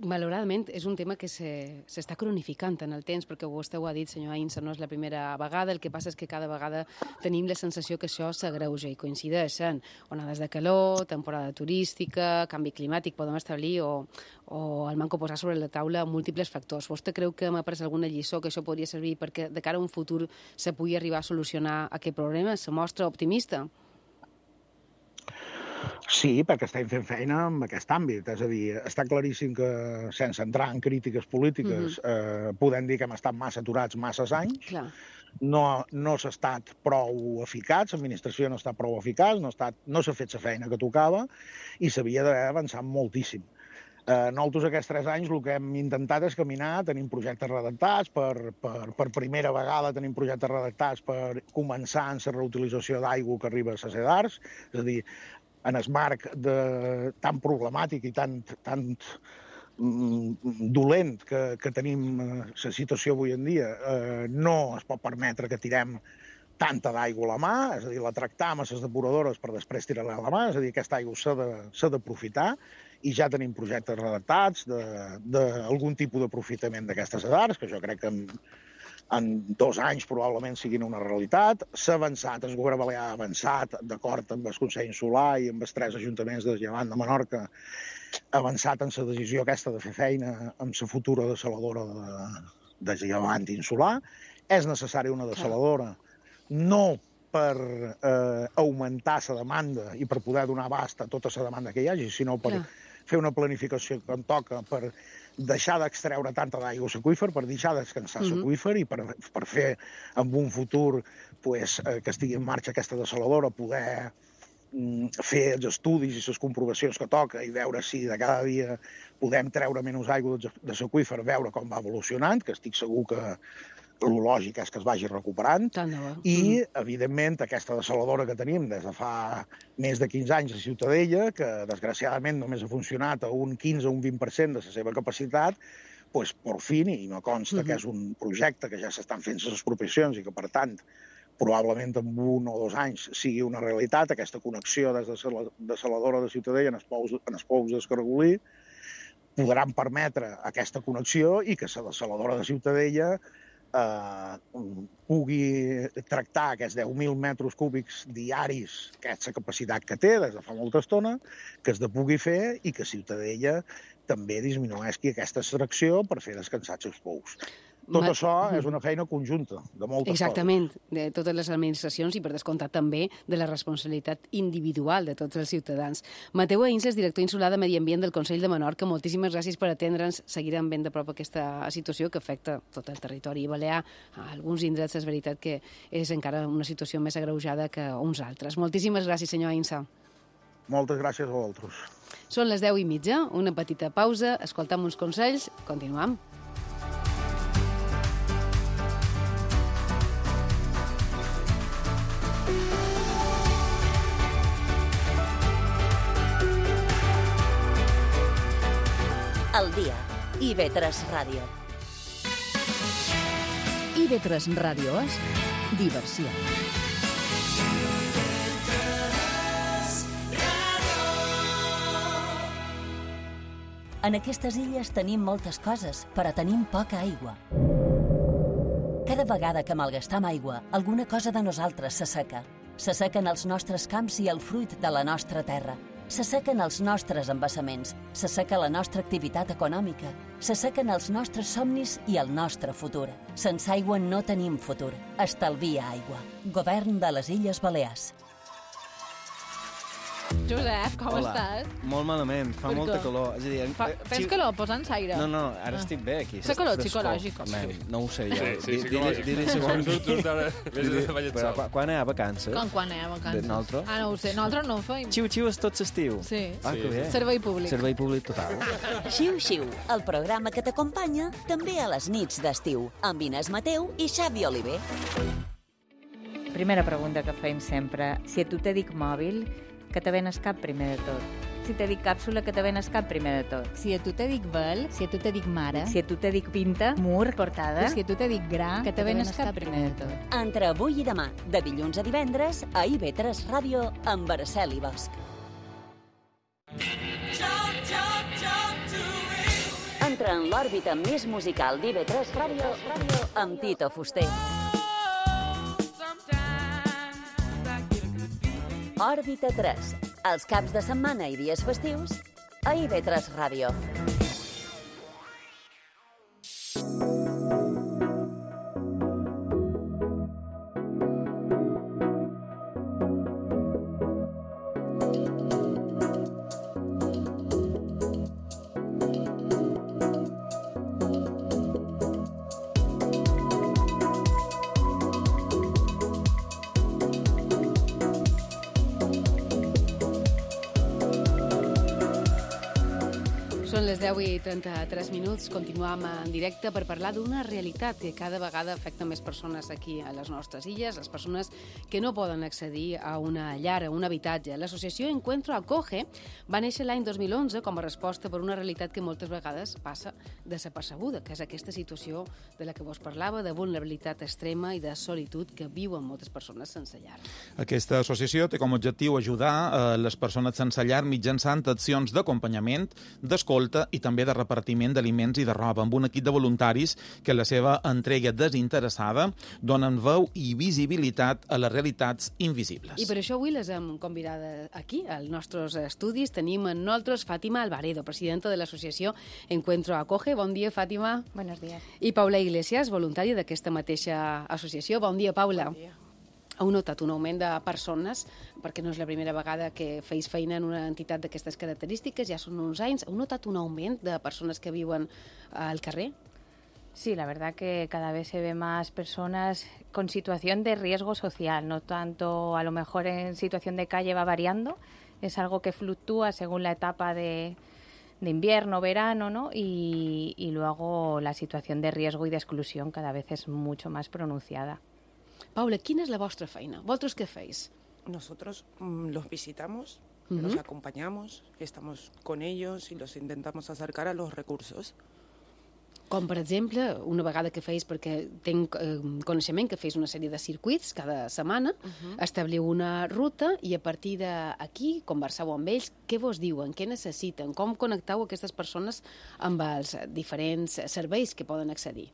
Malauradament, és un tema que s'està cronificant en el temps, perquè vostè ho ha dit, senyor Ainsa, no és la primera vegada. El que passa és que cada vegada tenim la sensació que això s'agreuja i coincideixen onades de calor, temporada turística, canvi climàtic, podem establir, o, o el manco posar sobre la taula múltiples factors. Vostè creu que m'ha pres alguna lliçó que això podria servir perquè de cara a un futur se pugui arribar a solucionar aquest problema? Se mostra optimista? Sí, perquè estem fent feina en aquest àmbit. És a dir, està claríssim que, sense entrar en crítiques polítiques, mm-hmm. eh, podem dir que hem estat massa aturats massa anys. Clar. No, no s'ha estat prou eficaç, l'administració no està prou eficaç, no, estat, no s'ha fet la feina que tocava i s'havia d'haver avançat moltíssim. Eh, nosaltres aquests tres anys el que hem intentat és caminar, tenim projectes redactats, per, per, per primera vegada tenim projectes redactats per començar en la reutilització d'aigua que arriba a les edars, és a dir, en el marc de, tan problemàtic i tan, tan mm, dolent que, que tenim la situació avui en dia, eh, no es pot permetre que tirem tanta d'aigua a la mà, és a dir, la tractam a les depuradores per després tirar-la a la mà, és a dir, aquesta aigua s'ha d'aprofitar i ja tenim projectes redactats d'algun tipus d'aprofitament d'aquestes edars, que jo crec que en, en dos anys probablement siguin una realitat. S'ha avançat, el govern balear ha avançat, d'acord amb el Consell Insular i amb els tres ajuntaments de Llevant de Menorca, ha avançat en la decisió aquesta de fer feina amb la futura dessaladora de, de Llevant Insular. És necessària una dessaladora, no per eh, augmentar la demanda i per poder donar abast a tota la demanda que hi hagi, sinó per Clar. fer una planificació que en toca, per deixar d'extreure tanta d'aigua s'aqüífer, per deixar de descansar s'aqüífer mm -hmm. i per, per fer en un futur pues, eh, que estigui en marxa aquesta dessaladora, poder mm, fer els estudis i les comprovacions que toca i veure si de cada dia podem treure menys aigua de s'aqüífer, veure com va evolucionant, que estic segur que el lògic és que es vagi recuperant, i, evidentment, aquesta dessaladora que tenim des de fa més de quinze anys a Ciutadella, que, desgraciadament, només ha funcionat a un quinze o un vint per cent de la seva capacitat, doncs, per fi, i me consta que és un projecte que ja s'estan fent les expropiacions i que, per tant, probablement en un o dos anys sigui una realitat, aquesta connexió des de la dessaladora de Ciutadella en els pous, en els pous d'Escargolí, podran permetre aquesta connexió i que la dessaladora de Ciutadella Eh, pugui tractar aquests deu mil metres cúbics diaris, que és la capacitat que té des de fa molta estona, que es de pugui fer i que Ciutadella també disminueixi aquesta extracció per fer descansar els seus pous. Tot Ma... això és una feina conjunta, de moltes Exactament, coses. de totes les administracions i, per descomptat, també de la responsabilitat individual de tots els ciutadans. Mateu Ainsles, director insular de Medi Ambient del Consell de Menorca, moltíssimes gràcies per atendre'ns. Seguirem ben de prop aquesta situació que afecta tot el territori balear. A alguns indrets és veritat que és encara una situació més agreujada que uns altres. Moltíssimes gràcies, senyor Ainsa. Moltes gràcies a vosaltres. Són les deu i mitja, una petita pausa, escoltam uns consells, continuam. El dia. I ve tres Ràdio. I ve tres Ràdio és diversió. En aquestes illes tenim moltes coses, però tenim poca aigua. Cada vegada que malgastam aigua, alguna cosa de nosaltres s'asseca. S'assequen els nostres camps i el fruit de la nostra terra. S'assequen els nostres embassaments, s'asseca la nostra activitat econòmica, s'assequen els nostres somnis i el nostre futur. Sense aigua no tenim futur. Estalvia aigua. Govern de les Illes Balears. Josep, com Hola. estàs? Molt malament, fa Per molta què? calor. És a dir, Fa, eh, tens xi- calor? Posa'ns aire. No, no, ara Ah. estic bé aquí. Fa calor Frescor. psicològic. Man, no ho sé jo. Sí, sí, Di- psicològic. Dili, dili segon. Tu, tu, ara, vés de ballet Però sol. quan, quan anem a vacances? Com quan anem a vacances? De nosaltres? Ah, no ho sé. Nosaltres no ho feim. Xiu-xiu és tot l'estiu. Sí. Ah, que bé. Servei públic. Servei públic total. Xiu-xiu, el programa que t'acompanya també a les nits d'estiu, amb Inés Mateu i Xavi Oliver. Primera pregunta que feim sempre. Si a tu te dic mòbil, que te venes cap primer de tot? Si te dic càpsula, que te venes cap primer de tot? Si a tu te dic vel, si a tu te dic mare, Si a tu te dic pinta, mur, portada... si a tu te dic gra, que te venes cap primer de tot? Entre avui i demà, de dilluns a divendres, a I V tres Ràdio, amb Araceli Bosch. Entra en l'òrbita més musical d'I V tres Ràdio, Ràdio amb Tito Fuster. Òrbita tres, els caps de setmana i dies festius, a I V tres Ràdio. Són les deu i trenta-tres minuts. Continuam en directe per parlar d'una realitat que cada vegada afecta més persones aquí a les nostres illes, les persones que no poden accedir a una llar, a un habitatge. L'associació Encuentro Acoge va néixer l'any dos mil onze com a resposta per una realitat que moltes vegades passa desapercebuda, que és aquesta situació de la que vos parlava, de vulnerabilitat extrema i de solitud que viuen moltes persones sense llar. Aquesta associació té com a objectiu ajudar a les persones sense llar mitjançant accions d'acompanyament, d'escolta i també de repartiment d'aliments i de roba, amb un equip de voluntaris que la seva entrega desinteressada donen veu i visibilitat a les realitats invisibles. I per això avui les hem convidat aquí, als nostres estudis. Tenim en nosaltres Fàtima Alvaredo, presidenta de l'associació Encuentro Acoge. Bon dia, Fàtima. Buenos días. I Paula Iglesias, voluntària d'aquesta mateixa associació. Bon dia, Paula. Bon dia. Heu notat un augment de persones, perquè no és la primera vegada que feis feina en una entitat d'aquestes característiques, ja són uns anys. Heu notat un augment de persones que viuen al carrer? Sí, la verdad que cada vez se ve más personas con situación de riesgo social, no tanto a lo mejor en situación de calle va variando, es algo que fluctúa según la etapa de, de invierno, verano, ¿no? Y, y luego la situación de riesgo y de exclusión cada vez es mucho más pronunciada. Paula, quina és la vostra feina? Vosaltres què feis? Nosotros mmm, los visitamos, Uh-huh. los acompañamos, estamos con ellos y los intentamos acercar a los recursos. Com, per exemple, una vegada que feis, perquè tinc eh, coneixement que feis una sèrie de circuits cada setmana, Uh-huh. establiu una ruta i a partir d'aquí converseu amb ells, què vos diuen, què necessiten, com connecteu aquestes persones amb els diferents serveis que poden accedir.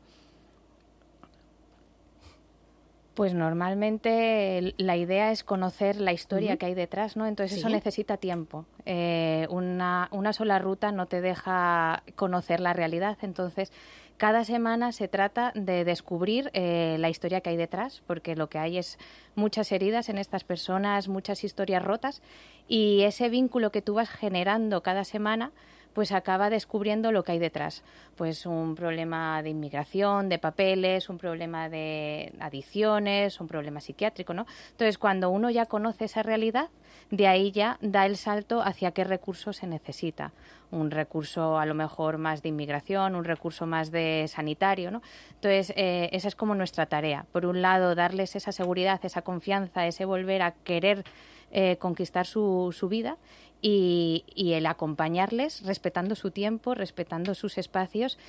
Pues normalmente la idea es conocer la historia Uh-huh. que hay detrás, ¿no? Entonces Sí. eso necesita tiempo. Eh, una, una sola ruta no te deja conocer la realidad. Entonces, cada semana se trata de descubrir eh, la historia que hay detrás, porque lo que hay es muchas heridas en estas personas, muchas historias rotas, y ese vínculo que tú vas generando cada semana pues acaba descubriendo lo que hay detrás. Pues un problema de inmigración, de papeles, un problema de adicciones, un problema psiquiátrico, ¿no? Entonces, cuando uno ya conoce esa realidad, de ahí ya da el salto hacia qué recurso se necesita. Un recurso a lo mejor más de inmigración, un recurso más de sanitario, ¿no? Entonces, eh, esa es como nuestra tarea. Por un lado, darles esa seguridad, esa confianza, ese volver a querer eh, conquistar su, su vida, y, y el acompañarles respetando su tiempo, respetando sus espacios,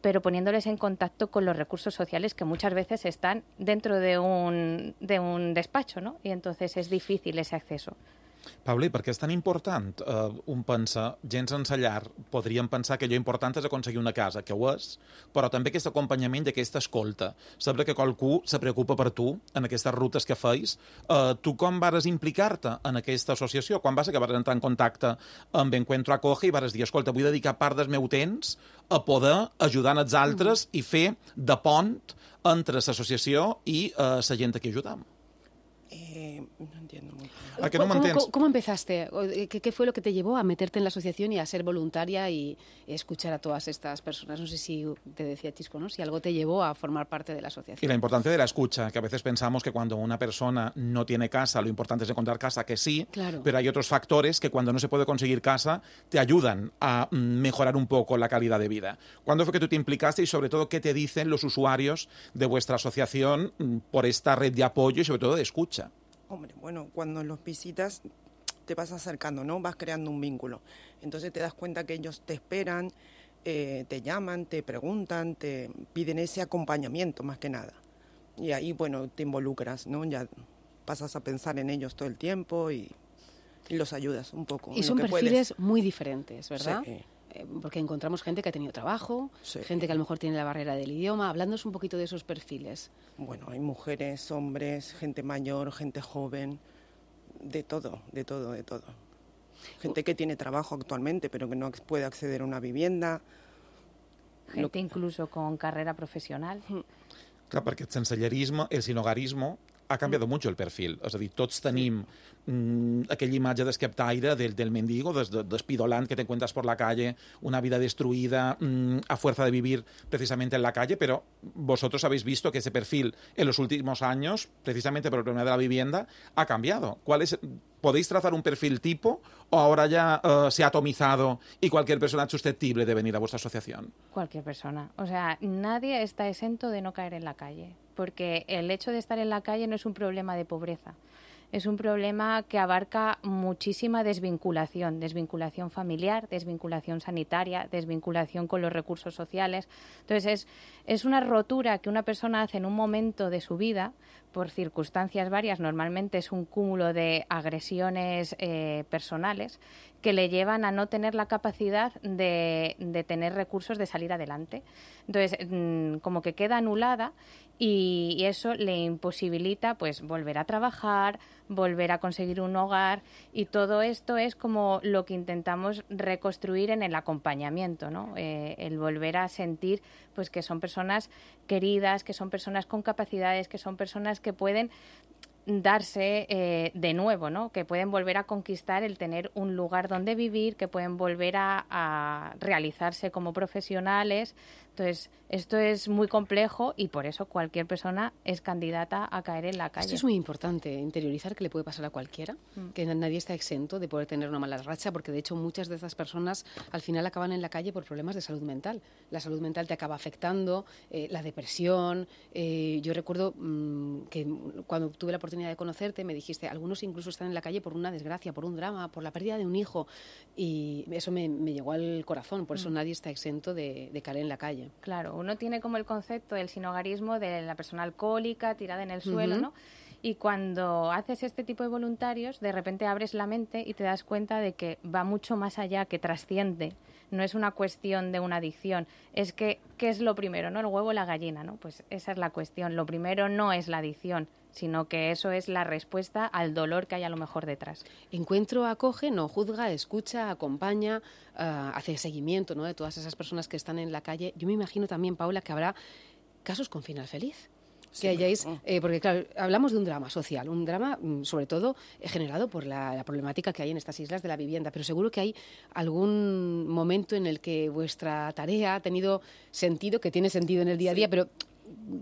pero poniéndoles en contacto con los recursos sociales que muchas veces están dentro de un, de un despacho, ¿no? Y entonces es difícil ese acceso. Paula, i per què és tan important? Uh, un pensa, gens sense llar, podríem pensar que allò important és aconseguir una casa, que ho és, però també aquest acompanyament i aquesta escolta. Saber que qualcú se preocupa per tu en aquestes rutes que feis. Uh, tu com vares implicar-te en aquesta associació? Quan va ser que vares entrar en contacte amb Encuentro Acoge i vares dir, escolta, vull dedicar part del meu temps a poder ajudar els altres i fer de pont entre l'associació i uh, la gent a qui ajudam? Eh, no entiendo muy bien. ¿A que no me ¿Cómo, entiendes? cómo, cómo empezaste? ¿Qué, ¿Qué fue lo que te llevó a meterte en la asociación y a ser voluntaria y escuchar a todas estas personas? No sé si te decía Chisco, ¿no? Si algo te llevó a formar parte de la asociación. Y la importancia de la escucha, que a veces pensamos que cuando una persona no tiene casa, lo importante es encontrar casa, que sí, Claro. pero hay otros factores que cuando no se puede conseguir casa te ayudan a mm, mejorar un poco la calidad de vida. ¿Cuándo fue que tú te implicaste y sobre todo qué te dicen los usuarios de vuestra asociación mm, por esta red de apoyo y sobre todo de escucha? Hombre, bueno, cuando los visitas te vas acercando, ¿no? Vas creando un vínculo. Entonces te das cuenta que ellos te esperan, eh, te llaman, te preguntan, te piden ese acompañamiento más que nada. Y ahí, bueno, te involucras, ¿no? Ya pasas a pensar en ellos todo el tiempo y, y los ayudas un poco. Y en son lo que perfiles puedes. muy diferentes, ¿verdad? Sí. Eh, Porque encontramos gente que ha tenido trabajo, Sí. gente que a lo mejor tiene la barrera del idioma. Hablándonos un poquito de esos perfiles. Bueno, hay mujeres, hombres, gente mayor, gente joven, de todo, de todo, de todo. Gente que tiene trabajo actualmente, pero que no ac- puede acceder a una vivienda. Gente incluso con carrera profesional. Clar, perquè el sensellerisme, el sinogarismo, ha canviat mucho el perfil. És a dir, tots tenim mm, aquella imatge d'esqueptaire del, del mendigo, des, de, despidolant que te encuentras por la calle, una vida destruida mm, a fuerza de vivir precisamente en la calle, pero vosotros habéis visto que ese perfil en los últimos años, precisamente por el problema de la vivienda, ha cambiado. ¿Cuál es, ¿Podéis trazar un perfil tipo o ahora ya uh, se ha atomizado y cualquier persona es susceptible de venir a vuestra asociación? Cualquier persona. O sea, nadie está exento de no caer en la calle, porque el hecho de estar en la calle no es un problema de pobreza. Es un problema que abarca muchísima desvinculación, desvinculación familiar, desvinculación sanitaria, desvinculación con los recursos sociales. Entonces, es, es una rotura que una persona hace en un momento de su vida por circunstancias varias, normalmente es un cúmulo de agresiones eh, personales que le llevan a no tener la capacidad de, de tener recursos de salir adelante. Entonces, mmm, como que queda anulada y, y eso le imposibilita pues volver a trabajar, volver a conseguir un hogar, y todo esto es como lo que intentamos reconstruir en el acompañamiento, ¿no? Eh, el volver a sentir pues que son personas queridas, que son personas con capacidades, que son personas que pueden darse eh, de nuevo, ¿no? Que pueden volver a conquistar el tener un lugar donde vivir, que pueden volver a, a realizarse como profesionales. Entonces, esto es muy complejo y por eso cualquier persona es candidata a caer en la calle. Esto es muy importante, interiorizar que le puede pasar a cualquiera, mm. que nadie está exento de poder tener una mala racha, porque de hecho muchas de esas personas al final acaban en la calle por problemas de salud mental. La salud mental te acaba afectando, eh, la depresión. Eh, yo recuerdo mmm, que cuando tuve la oportunidad de conocerte me dijiste, algunos incluso están en la calle por una desgracia, por un drama, por la pérdida de un hijo, y eso me, me llegó al corazón. Por eso mm. nadie está exento de, de caer en la calle. Claro, uno tiene como el concepto del sinhogarismo de la persona alcohólica tirada en el suelo, uh-huh. ¿no? Y cuando haces este tipo de voluntarios, de repente abres la mente y te das cuenta de que va mucho más allá, que trasciende. No es una cuestión de una adicción, es que, ¿qué es lo primero, no? El huevo o la gallina, ¿no? Pues esa es la cuestión. Lo primero no es la adicción, sino que eso es la respuesta al dolor que hay a lo mejor detrás. Encuentro acoge, no juzga, escucha, acompaña, uh, hace seguimiento, ¿no? De todas esas personas que están en la calle. Yo me imagino también, Paula, que habrá casos con final feliz. Sí, que hayáis, eh, porque claro, hablamos de un drama social, un drama mm, sobre todo eh, generado por la, la problemática que hay en estas islas de la vivienda, pero seguro que hay algún momento en el que vuestra tarea ha tenido sentido, que tiene sentido en el día a día, sí. pero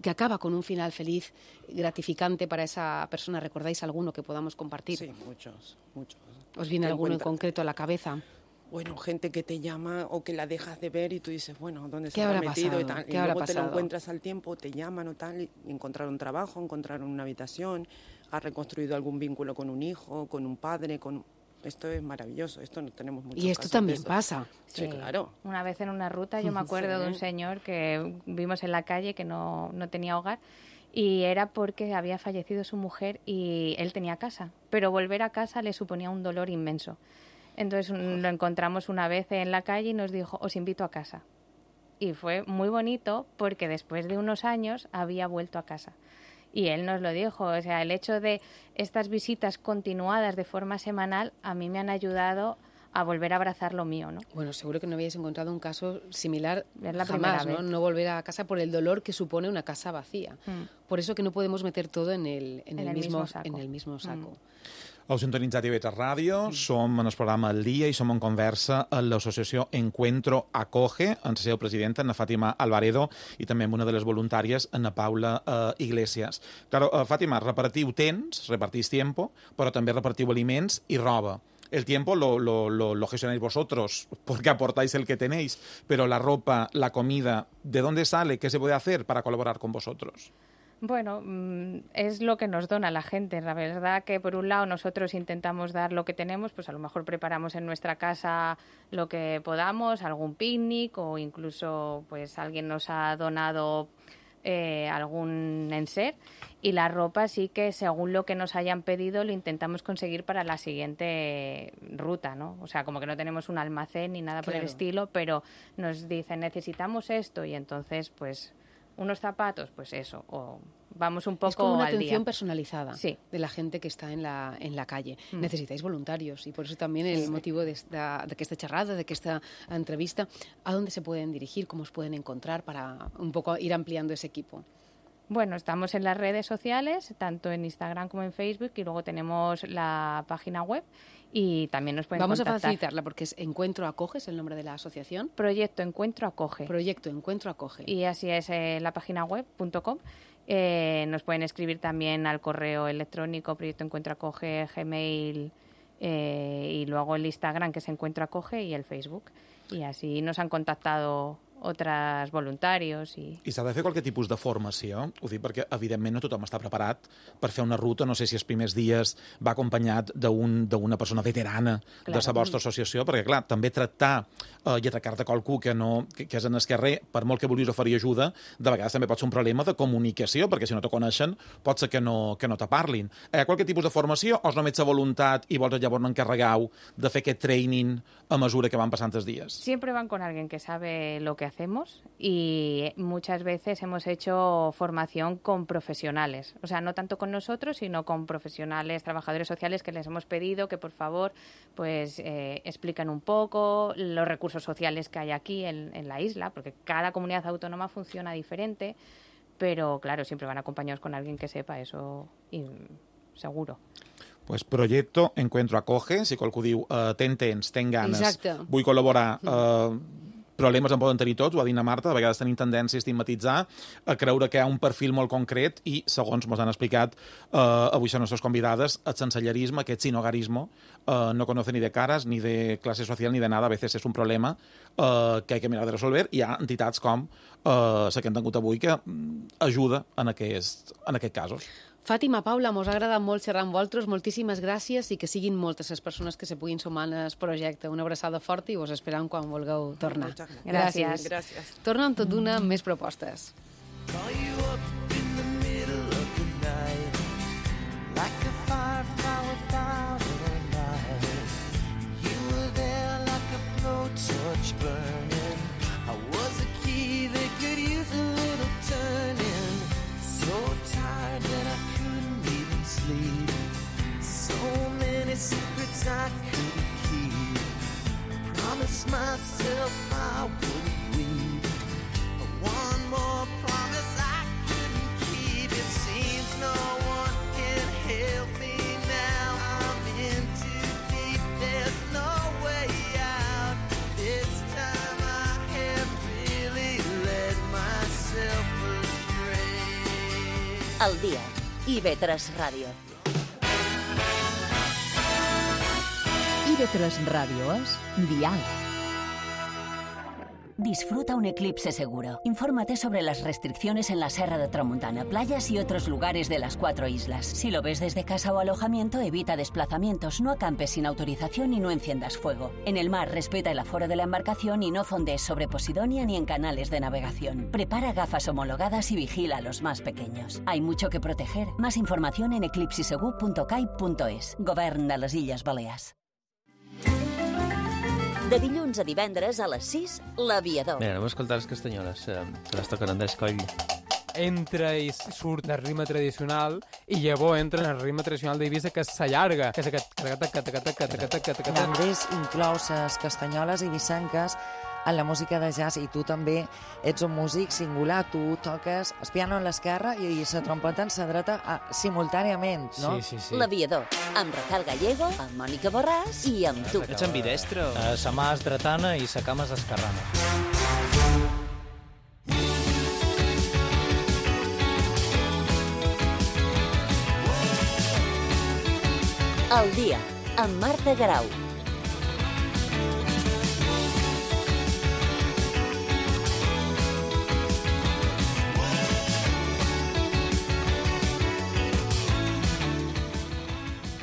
que acaba con un final feliz, gratificante para esa persona. ¿Recordáis alguno que podamos compartir? Sí, muchos, muchos. ¿Os viene alguno en concreto a la cabeza? Bueno, gente que te llama o que la dejas de ver y tú dices, bueno, ¿dónde se ¿Qué habrá habrá metido? pasado? Y, tal. ¿Qué y habrá luego te pasado? lo encuentras al tiempo, te llaman o tal, y encontraron trabajo, encontraron una habitación, has reconstruido algún vínculo con un hijo, con un padre, con... Esto es maravilloso, esto no tenemos muchos Y esto casos también de esto. pasa. Sí, sí, claro. Una vez en una ruta yo me acuerdo sí. de un señor que vimos en la calle que no, no tenía hogar y era porque había fallecido su mujer y él tenía casa, pero volver a casa le suponía un dolor inmenso. Entonces lo encontramos una vez en la calle y nos dijo, os invito a casa. Y fue muy bonito porque después de unos años había vuelto a casa. Y él nos lo dijo, o sea, el hecho de estas visitas continuadas de forma semanal a mí me han ayudado a volver a abrazar lo mío, ¿no? Bueno, seguro que no habíais encontrado un caso similar es la jamás, primera ¿no? vez. No volver a casa por el dolor que supone una casa vacía. Mm. Por eso que no podemos meter todo en el, en en el, el mismo, mismo saco. En el mismo saco. Mm. Heu sintonitzat I V tres Ràdio, mm. som en el programa El Dia i som en conversa amb l'associació Encuentro Acoge, en la seva presidenta, en Fàtima Alvaredo, i també amb una de les voluntàries, en Paula uh, Iglesias. Claro, uh, Fàtima, repartiu temps, repartís tiempo, però també repartiu aliments i roba. El tiempo lo, lo, lo, lo gestionáis vosotros porque aportáis el que tenéis, pero la ropa, la comida, ¿de dónde sale? ¿Qué se puede hacer para colaborar con vosotros? Bueno, es lo que nos dona la gente. La verdad que por un lado nosotros intentamos dar lo que tenemos, pues a lo mejor preparamos en nuestra casa lo que podamos, algún picnic o incluso pues alguien nos ha donado eh, algún enser y la ropa sí que según lo que nos hayan pedido lo intentamos conseguir para la siguiente ruta, ¿no? O sea, como que no tenemos un almacén ni nada Claro. por el estilo, pero nos dicen necesitamos esto y entonces pues unos zapatos, pues eso, o vamos un poco es como una al atención día. personalizada Sí. de la gente que está en la, en la calle. Mm. Necesitáis voluntarios y por eso también el Sí. motivo de esta, de que esta charrada, de que esta entrevista, ¿a dónde se pueden dirigir? ¿Cómo os pueden encontrar para un poco ir ampliando ese equipo? Bueno, estamos en las redes sociales, tanto en Instagram como en Facebook, y luego tenemos la página web y también nos pueden Vamos contactar. a facilitarla porque es Encuentro Acoge, es el nombre de la asociación. Proyecto Encuentro Acoge. Proyecto Encuentro Acoge. Y así es eh, la página web punto com. Eh, nos pueden escribir también al correo electrónico Proyecto Encuentro Acoge, Gmail eh, y luego el Instagram que es Encuentro Acoge y el Facebook. Y así nos han contactado altres voluntaris. I, I s'ha de fer qualque tipus de formació? Ho dic perquè, evidentment, no tothom està preparat per fer una ruta. No sé si els primers dies va acompanyat d'un, d'una persona veterana Clar. de la vostra associació, perquè, clar, també tractar eh, i atracar-te qualcú que, no, que, que és en el carrer, per molt que vulguis oferir ajuda, de vegades també pot ser un problema de comunicació, perquè si no te coneixen pot ser que no, que no te parlin. Hi ha qualque tipus de formació o és només la voluntat i vols llavors no encarregueu de fer aquest training a mesura que van passant els dies? Siempre van con alguien que sabe lo que hacemos y muchas veces hemos hecho formación con profesionales, o sea, no tanto con nosotros, sino con profesionales, trabajadores sociales que les hemos pedido que por favor pues eh, expliquen un poco los recursos sociales que hay aquí en, en la isla, porque cada comunidad autónoma funciona diferente, pero claro, siempre van acompañados con alguien que sepa eso y seguro. Pues Proyecto Encuentro Acoge, si qualcú diu uh, ten temps, ten ganes, Exacte. vull col·laborar, uh, problemes en poden tenir tots, ho ha dit na Marta, de vegades tenim tendència a estigmatitzar, a creure que hi ha un perfil molt concret i, segons ens han explicat uh, avui són les nostres convidades, el sensellerisme, aquest sinogarismo, uh, no conoce ni de caras, ni de clase social, ni de nada, a veces és un problema uh, que hay que mirar de resolver. Hi ha entitats com uh, la que hem tingut avui que uh, ajuda en, aquest, en aquests casos. Fàtima, Paula, mos ha agradat molt xerrar amb vosaltres, moltíssimes gràcies i que siguin moltes les persones que se puguin sumar al projecte. Una abraçada forta i vos esperam quan vulgueu tornar. Gràcies. Gràcies. Torna amb tot d'una amb més propostes. Secrets I couldn't keep. I promised myself I wouldn't weep. But one more promise I couldn't keep. It seems no one can help me now. I'm in too deep. There's no way out. This time I have really led myself astray. El dia. I ve tres Ràdio. I ve tres Ràdio és Dial. Disfruta un eclipse seguro. Infórmate sobre las restricciones en la Serra de Tramuntana, playas y otros lugares de las cuatro islas. Si lo ves desde casa o alojamiento, evita desplazamientos, no acampes sin autorización y no enciendas fuego. En el mar, respeta el aforo de la embarcación y no fondees sobre Posidonia ni en canales de navegación. Prepara gafas homologadas y vigila a los más pequeños. Hay mucho que proteger. Más información en eclipsisegur punto cai punto es. Govern de les Illes Balears. De dilluns a divendres a les sis, L'Aviador. Bé, anem a escoltar les castanyoles, eh, que les toquen Andrés Coll. Entra i surt del ritme tradicional i llavors entra en el ritme tradicional d'Eivissa, que s'allarga, que és aquest... Andrés inclou les castanyoles eivissenques en la música de jazz i tu també ets un músic singular, tu toques el piano a l'esquerra i la trompeta en la dreta a, simultàniament, no? Sí, sí, sí. L'Aviador, amb Rafael Gallego, amb Mònica Borràs i amb tu. Ets ambidestre? Uh, sa mà és dretana i sa cama és esquerrana. El dia, amb Marta Garau.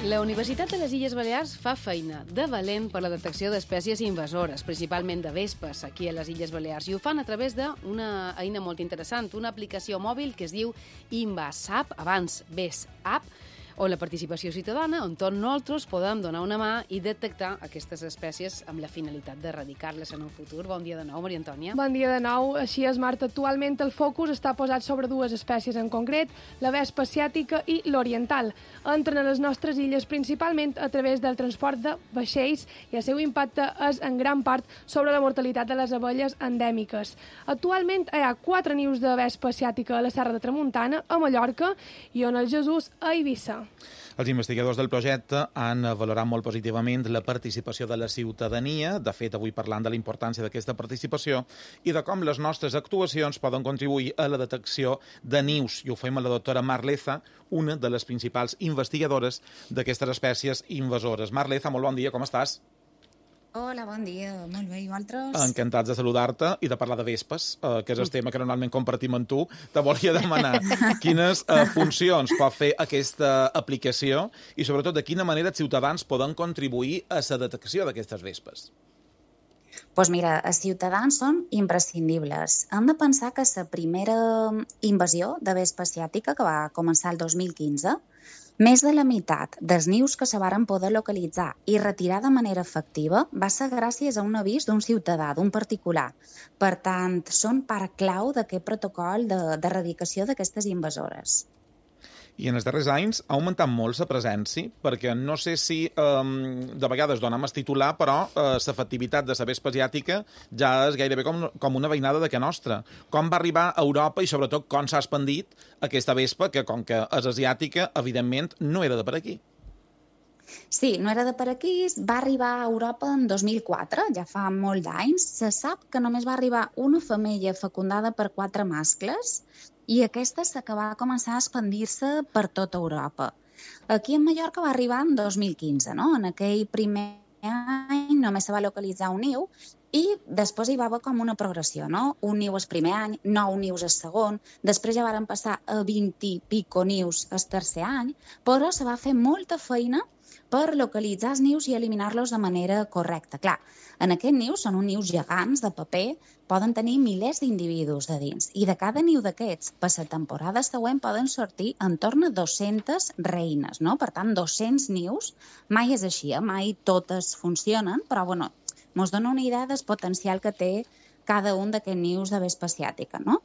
La Universitat de les Illes Balears fa feina de valent per la detecció d'espècies invasores, principalment de vespes, aquí a les Illes Balears, i ho fan a través d'una eina molt interessant, una aplicació mòbil que es diu InvasApp, abans VesApp, o la participació ciutadana, on tots nosaltres podem donar una mà i detectar aquestes espècies amb la finalitat d'erradicar-les en un futur. Bon dia de nou, Maria Antònia. Bon dia de nou. Així és, Marta. Actualment el focus està posat sobre dues espècies en concret, la vespa asiàtica i l'oriental. Entren a les nostres illes principalment a través del transport de vaixells i el seu impacte és en gran part sobre la mortalitat de les abelles endèmiques. Actualment hi ha quatre nius de vespa asiàtica a la Serra de Tramuntana, a Mallorca, i on el Jesús a Eivissa. Els investigadors del projecte han valorat molt positivament la participació de la ciutadania, de fet, avui parlant de la importància d'aquesta participació i de com les nostres actuacions poden contribuir a la detecció de nius. I ho fem a la doctora Mar Leza, una de les principals investigadores d'aquestes espècies invasores. Mar Leza, molt bon dia, com estàs? Hola, bon dia. Molt bé, i vosaltres? Encantats de saludar-te i de parlar de vespes, eh, que és el tema que normalment compartim amb tu. Te volia demanar quines eh, funcions pot fer aquesta aplicació i, sobretot, de quina manera els ciutadans poden contribuir a la detecció d'aquestes vespes. Doncs pues mira, els ciutadans són imprescindibles. Hem de pensar que la primera invasió de vespa asiàtica, que va començar el dos mil quinze, més de la meitat dels nius que se varen poder localitzar i retirar de manera efectiva va ser gràcies a un avís d'un ciutadà, d'un particular. Per tant, són part clau d'aquest protocol d'erradicació d'aquestes invasores. I en els darrers anys ha augmentat molt la presència, perquè no sé si eh, de vegades dona més titular, però l'efectivitat de la vespa asiàtica ja és gairebé com, com una veïnada de que nostra. Com va arribar a Europa i, sobretot, com s'ha expandit aquesta vespa, que, com que és asiàtica, evidentment, no era de per aquí. Sí, no era de per aquí, va arribar a Europa en dos mil quatre, ja fa molt d'anys. Se sap que només va arribar una femella fecundada per quatre mascles i aquesta s'ha va començar a expandir-se per tota Europa. Aquí a Mallorca va arribar en dos mil quinze, no? En aquell primer any només se va localitzar un niu i després hi va haver com una progressió, no? Un niu el primer any, nou nius el segon, després ja varen passar a vint i pico nius el tercer any, però se va fer molta feina per localitzar els nius i eliminar-los de manera correcta. Clar, en aquest niu són uns nius gegants de paper, poden tenir milers d'individus de dins i de cada niu d'aquests, per la temporada següent poden sortir en torn a dues-centes reines, no? Per tant, dos-cents nius, mai és així, eh? Mai totes funcionen, però bueno, ens dona una idea del potencial que té cada un d'aquests nius de vespa asiàtica, no?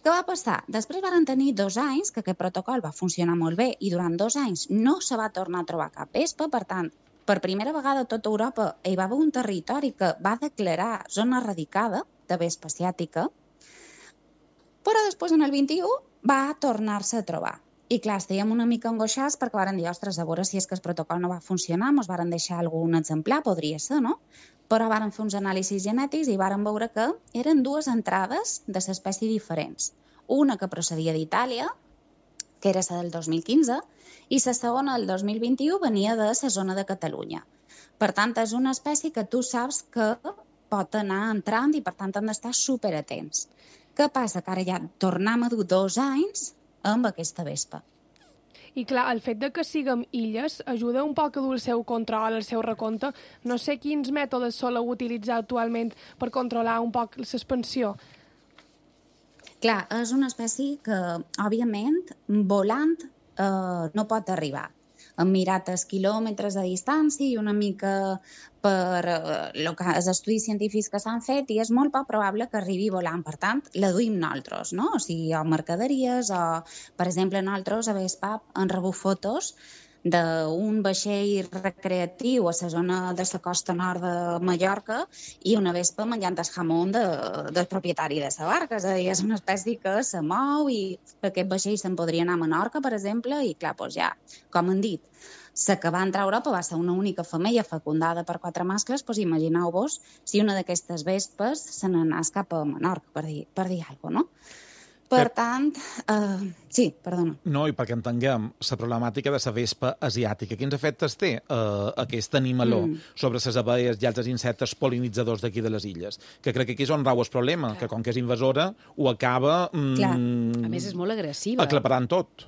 Què va passar? Després van tenir dos anys que aquest protocol va funcionar molt bé i durant dos anys no se va tornar a trobar cap vespa, per tant, per primera vegada a tota Europa hi va haver un territori que va declarar zona erradicada de vespa asiàtica, però després en el vint-i-u va tornar-se a trobar. I clar, estàvem una mica angoixats perquè varen dir, ostres, a veure si és que el protocol no va funcionar, ens varen deixar algun exemplar, podria ser, no? Però varen fer uns anàlisis genètics i varen veure que eren dues entrades de l'espècie diferents. Una que procedia d'Itàlia, que era la del dos mil quinze, i la segona del dos mil vint-i-u venia de la zona de Catalunya. Per tant, és una espècie que tu saps que pot anar entrant i per tant han d'estar superatents. Què passa? Que ara ja tornem a dur dos anys amb aquesta vespa. I clar, el fet de que siguem illes ajuda un poc a dur el seu control, el seu recompte. No sé quins mètodes soleu utilitzar actualment per controlar un poc l'expansió. Clar, és una espècie que, òbviament, volant eh, no pot arribar. Hem mirat els quilòmetres de distància i una mica per eh, els estudis científics que s'han fet i és molt poc probable que arribi volant. Per tant, la duim nosaltres, no? O sigui, o mercaderies o, per exemple, nosaltres a Vespap han rebut fotos d'un vaixell recreatiu a la zona de la costa nord de Mallorca i una vespa menjant el jamón de, del propietari de la barca. És a dir, és una espècie que se mou i aquest vaixell se'n podria anar a Menorca, per exemple, i clar, doncs ja, com han dit, la que va entrar a Europa va ser una única femella fecundada per quatre mascles, doncs imagineu-vos si una d'aquestes vespes se n'anés cap a Menorca, per dir, per dir alguna cosa, no? Per tant, uh, sí, perdona. No, i perquè entenguem la problemàtica de la vespa asiàtica. Quins efectes té uh, aquest animaló mm. sobre les abelles i altres insectes polinitzadors d'aquí de les illes? Que crec que aquí és on rau el problema, Clar. que com que és invasora ho acaba... Mm, a més, és molt agressiva. Aclaparant tot.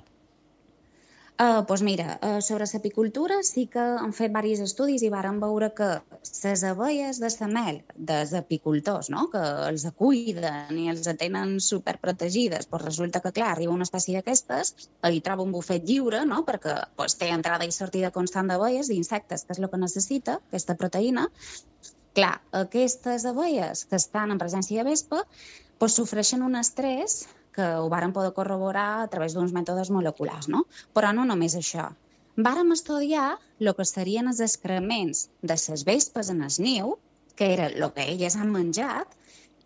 Uh, doncs mira, uh, sobre l'apicultura sí que han fet diversos estudis i varen veure que les abelles de la mel dels apicultors, no? Que els cuiden i els tenen superprotegides, doncs resulta que, clar, arriba una espècie d'aquestes, hi troba un bufet lliure, no? Perquè doncs, té entrada i sortida constant d'abelles, d'insectes, que és el que necessita, aquesta proteïna. Clar, aquestes abelles que estan en presència de vespa doncs, sofreixen un estrès que ho varen poder corroborar a través d'uns mètodes moleculars, no? Però no només això. Vàrem estudiar el que serien els excrements de les vespes en el niu, que era el que elles han menjat,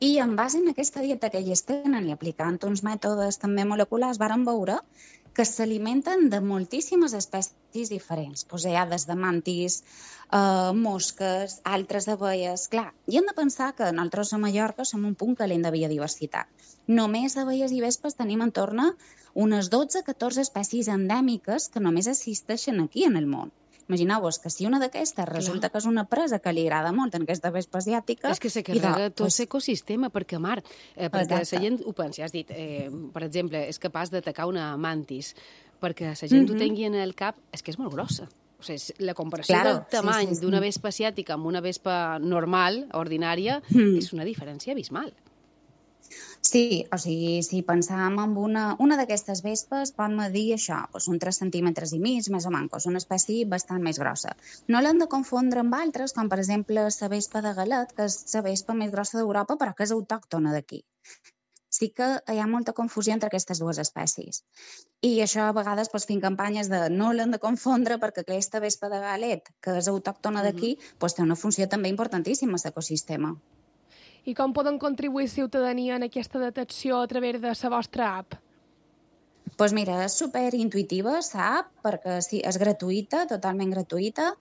i en base a aquesta dieta que elles tenen i aplicant uns mètodes també moleculars, vàrem veure que s'alimenten de moltíssimes espècies diferents. Pues hi ha des de mantis, eh, mosques, altres abelles... Clar, i hem de pensar que nosaltres a Mallorca som un punt calent de biodiversitat. Només d'abelles i vespes tenim en torn a unes dotze a catorze espècies endèmiques que només existeixen aquí en el món. Imagineu-vos que si una d'aquestes resulta que és una presa que li agrada molt en aquesta vespa asiàtica... És que se carrega tot l'ecosistema, perquè, Mar, eh, perquè la gent ho pensa, has dit, eh, per exemple, és capaç d'atacar una mantis, perquè la gent mm -hmm. ho tingui en el cap, és que és molt grossa. O sigui, la comparació claro, del tamany sí, sí, sí. d'una vespa asiàtica amb una vespa normal, ordinària, mm. és una diferència abismal. Sí, o sigui, si pensàvem en una, una d'aquestes vespes, pot medir això, doncs un tres centímetres i mig, més o menys, una espècie bastant més grossa. No l'hem de confondre amb altres, com per exemple la vespa de Galet, que és la vespa més grossa d'Europa, però que és autòctona d'aquí. sí que hi ha molta confusió entre aquestes dues espècies. I això a vegades doncs, fent campanyes de no l'hem de confondre perquè aquesta vespa de galet, que és autòctona d'aquí, doncs, té una funció també importantíssima a l'ecosistema. I com poden contribuir ciutadania en aquesta detecció a través de la vostra app? Doncs pues mira, és superintuitiva, l'app, perquè sí, és gratuïta, totalment gratuïta.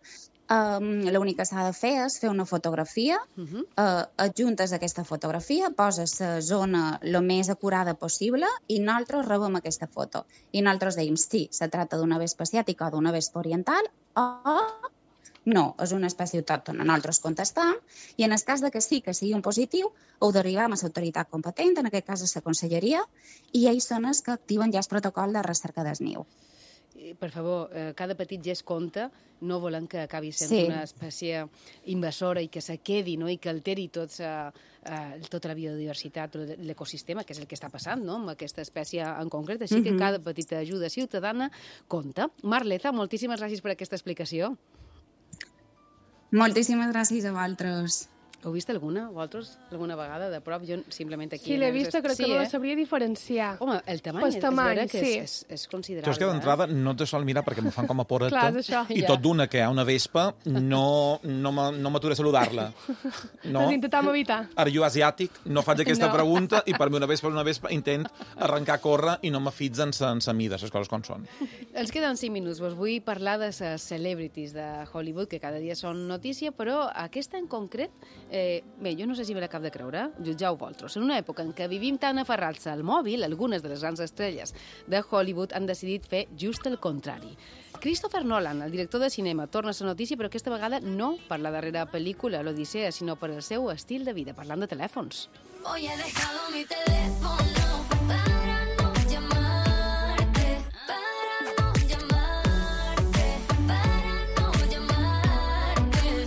Um, L'únic que s'ha de fer és fer una fotografia, uh-huh. uh, adjuntes aquesta fotografia, poses la zona el més acurada possible i nosaltres rebem aquesta foto. I nosaltres dèiem, sí, se tracta d'una vespa asiàtica o d'una vespa oriental o no, és una espècie autòctona. Nosaltres contestam i en el cas de que sí, que sigui un positiu, ho derivem a l'autoritat competent, en aquest cas a la conselleria, i ells són els que activen ja el protocol de recerca del niu. Per favor, eh, cada petit gest compta, no volem que acabi sent Sí. una espècie invasora i que se quedi, no? I que alteri tot sa, eh, tota la biodiversitat, l'ecosistema, que és el que està passant, no? Amb aquesta espècie en concret. Així que Mhm. cada petita ajuda ciutadana compta. Marleza, moltíssimes gràcies per aquesta explicació. Moltíssimes gràcies a vosaltres. Heu vist alguna, vosaltres, alguna vegada de prop? Jo simplement aquí... Sí, l'he vista, crec que no la sabria diferenciar. Home, el tamany, Pel és, tamany, és vera que sí. és, és, és considerable. Jo és que d'entrada no te sol mirar perquè me fan com a poreta Clar, és això. i Ja. tot d'una que hi ha una vespa no, no m'a- no m'atura a saludar-la. No? Doncs intentam evitar. Ara jo asiàtic no faig aquesta No. pregunta i per mi una vespa és una vespa, intent arrencar a córrer i no me fitz en sa, en sa mida, les coses com són. Ens queden cinc minuts. Vos vull parlar de les celebrities de Hollywood, que cada dia són notícia, però aquesta en concret, eh, bé, jo no sé si me la cap de creure, jutjau vosaltres. En una època en què vivim tan aferrats al mòbil, algunes de les grans estrelles de Hollywood han decidit fer just el contrari. Christopher Nolan, el director de cinema, torna a ser notícia, però aquesta vegada no per la darrera pel·lícula, l'Odissea, sinó per el seu estil de vida, parlant de telèfons. Hoy he dejado mi teléfono para no llamarte, para no llamarte, para no llamarte.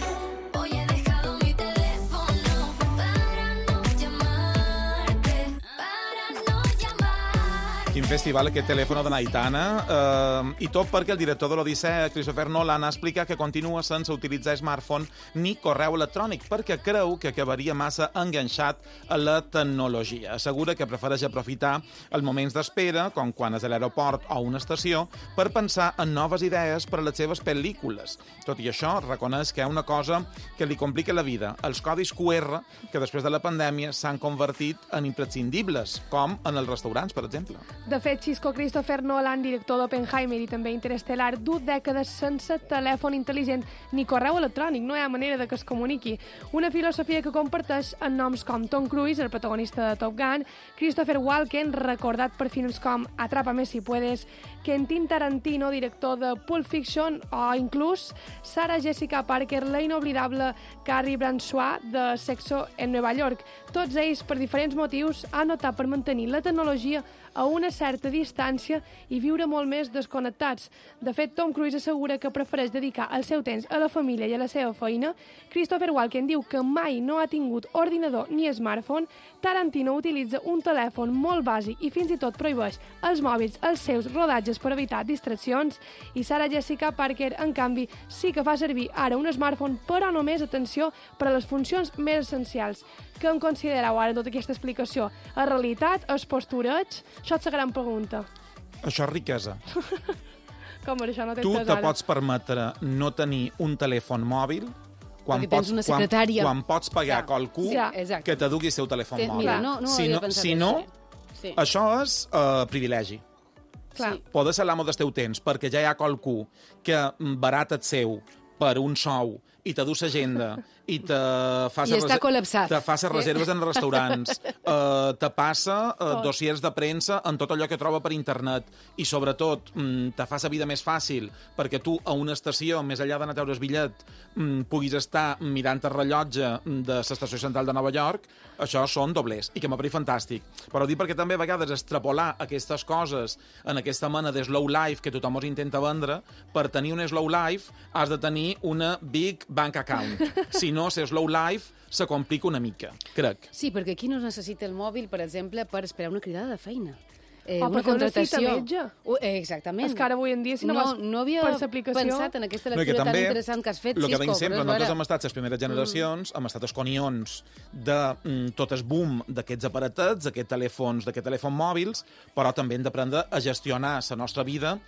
Hoy he dejado mi teléfono para no llamarte, para no llamarte. Quin festival aquest telèfon de Naitana, eh, i tot perquè el director de l'Odissea, Christopher Nolan, ha explicat que continua sense utilitzar smartphone ni correu electrònic, perquè creu que acabaria massa enganxat a la tecnologia. Assegura que prefereix aprofitar els moments d'espera, com quan és a l'aeroport o a una estació, per pensar en noves idees per a les seves pel·lícules. Tot i això, reconeix que hi ha una cosa que li complica la vida, els codis Q R, que després de la pandèmia s'han convertit en imprescindibles, com en els restaurants, per exemple. De fet, Xisco Christopher Nolan, director d'Oppenheimer i també Interestelar, du dècades sense telèfon intel·ligent ni correu electrònic, no hi ha manera de que es comuniqui. Una filosofia que comparteix en noms com Tom Cruise, el protagonista de Top Gun, Christopher Walken, recordat per films com Atrápame si puedes, Quentin Tarantino, director de Pulp Fiction, o inclús Sarah Jessica Parker, la inoblidable Carrie Bradshaw de Sexo en Nova York. Tots ells, per diferents motius, han optat per mantenir la tecnologia a una certa distància i viure molt més desconnectats. De fet, Tom Cruise assegura que prefereix dedicar el seu temps a la família i a la seva feina. Christopher Walken diu que mai no ha tingut ordinador ni smartphone. Tarantino utilitza un telèfon molt bàsic i fins i tot prohibeix els mòbils als seus rodatges per evitar distraccions. I Sarah Jessica Parker, en canvi, sí que fa servir ara un smartphone, però només, atenció, per a les funcions més essencials. Què en considereu ara tota aquesta explicació? La realitat, el postureig? Això és la gran pregunta. Això és riquesa. Com això no Tu t'entens te ara? pots permetre no tenir un telèfon mòbil quan Perquè tens pots, una quan, secretària. quan pots pagar Clar. qualcú Sí, exacte. que te dugui el seu telèfon Té- mòbil. mira, no- no ho si havia no, pensat si en no això, Sí. això és uh, privilegi. Clar. Poder ser l'amo del teu temps, perquè ja hi ha qualcú que barata el seu per un sou i te du l'agenda i te fa I ses està rese- col·lapsat. te fa les Sí. reserves en restaurants, uh, te passa uh, Tot. dossiers de premsa en tot allò que troba per internet i, sobretot, mm, te fa la vida més fàcil perquè tu, a una estació, més enllà d'anar a treure el bitllet, mm, puguis estar mirant el rellotge de l'estació central de Nova York. Això són doblers, i que m'apareix fantàstic. Però ho dic perquè també a vegades extrapolar aquestes coses en aquesta mena de slow life que tothom us intenta vendre, per tenir un slow life has de tenir una big bank account. Si no, ser slow life se complica una mica, crec. Sí, perquè aquí no es necessita el mòbil, per exemple, per esperar una cridada de feina. eh, O una per fer una cita contractació. metge. Uh, eh, exactament. És que ara avui en dia, si no, no, vas no havia per l'aplicació... pensat en aquesta No, i que lectura tan també, interessant que has fet, el que Xisco. veiem sempre, però és nosaltres vera. hem estat les primeres generacions, hem estat els conions de mm, tot el boom d'aquests aparatets, d'aquests telèfons, d'aquests telèfons mòbils, però també hem d'aprendre a gestionar la nostra vida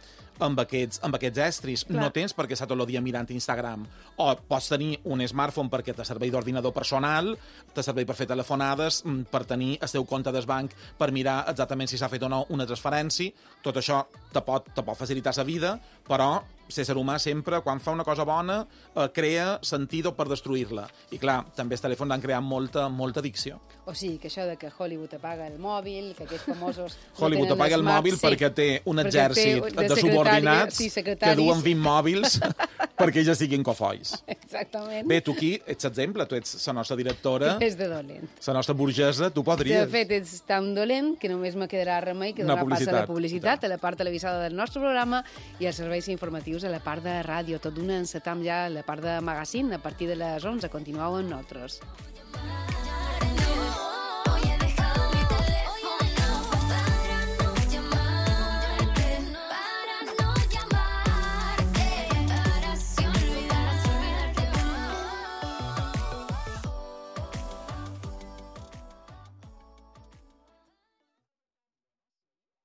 amb aquests, amb aquests estris. Clar. No tens per què estar tot el dia mirant Instagram. O pots tenir un smartphone perquè te servei d'ordinador personal, te servei per fer telefonades, mm, per tenir el teu compte del banc, per mirar exactament si s'ha fet o no una transferència. Tot això te pot, te pot facilitar la vida, però l'ésser humà sempre, quan fa una cosa bona, eh, crea sentido per destruir-la. I clar, també els telèfons han creat molta, molta addicció. O sigui, que això de que Hollywood apaga el mòbil, que aquests famosos... Hollywood no tenen apaga el smart, mòbil sí, perquè té un perquè exèrcit té de, de subordinats sí, que secretaris. duen vint mòbils perquè ja siguin cofois. Exactament. Bé, tu aquí ets exemple, tu ets la nostra directora, És de dolent. la nostra burgesa, tu De podries. fet, ets tan dolent que només me quedarà remei que Una donar pas a la publicitat. publicitat, a la part televisada del nostre programa i als serveis informatius a la part de ràdio. Tot d'una encetam ja la part de magazine a partir de les onze. Continueu amb nosaltres.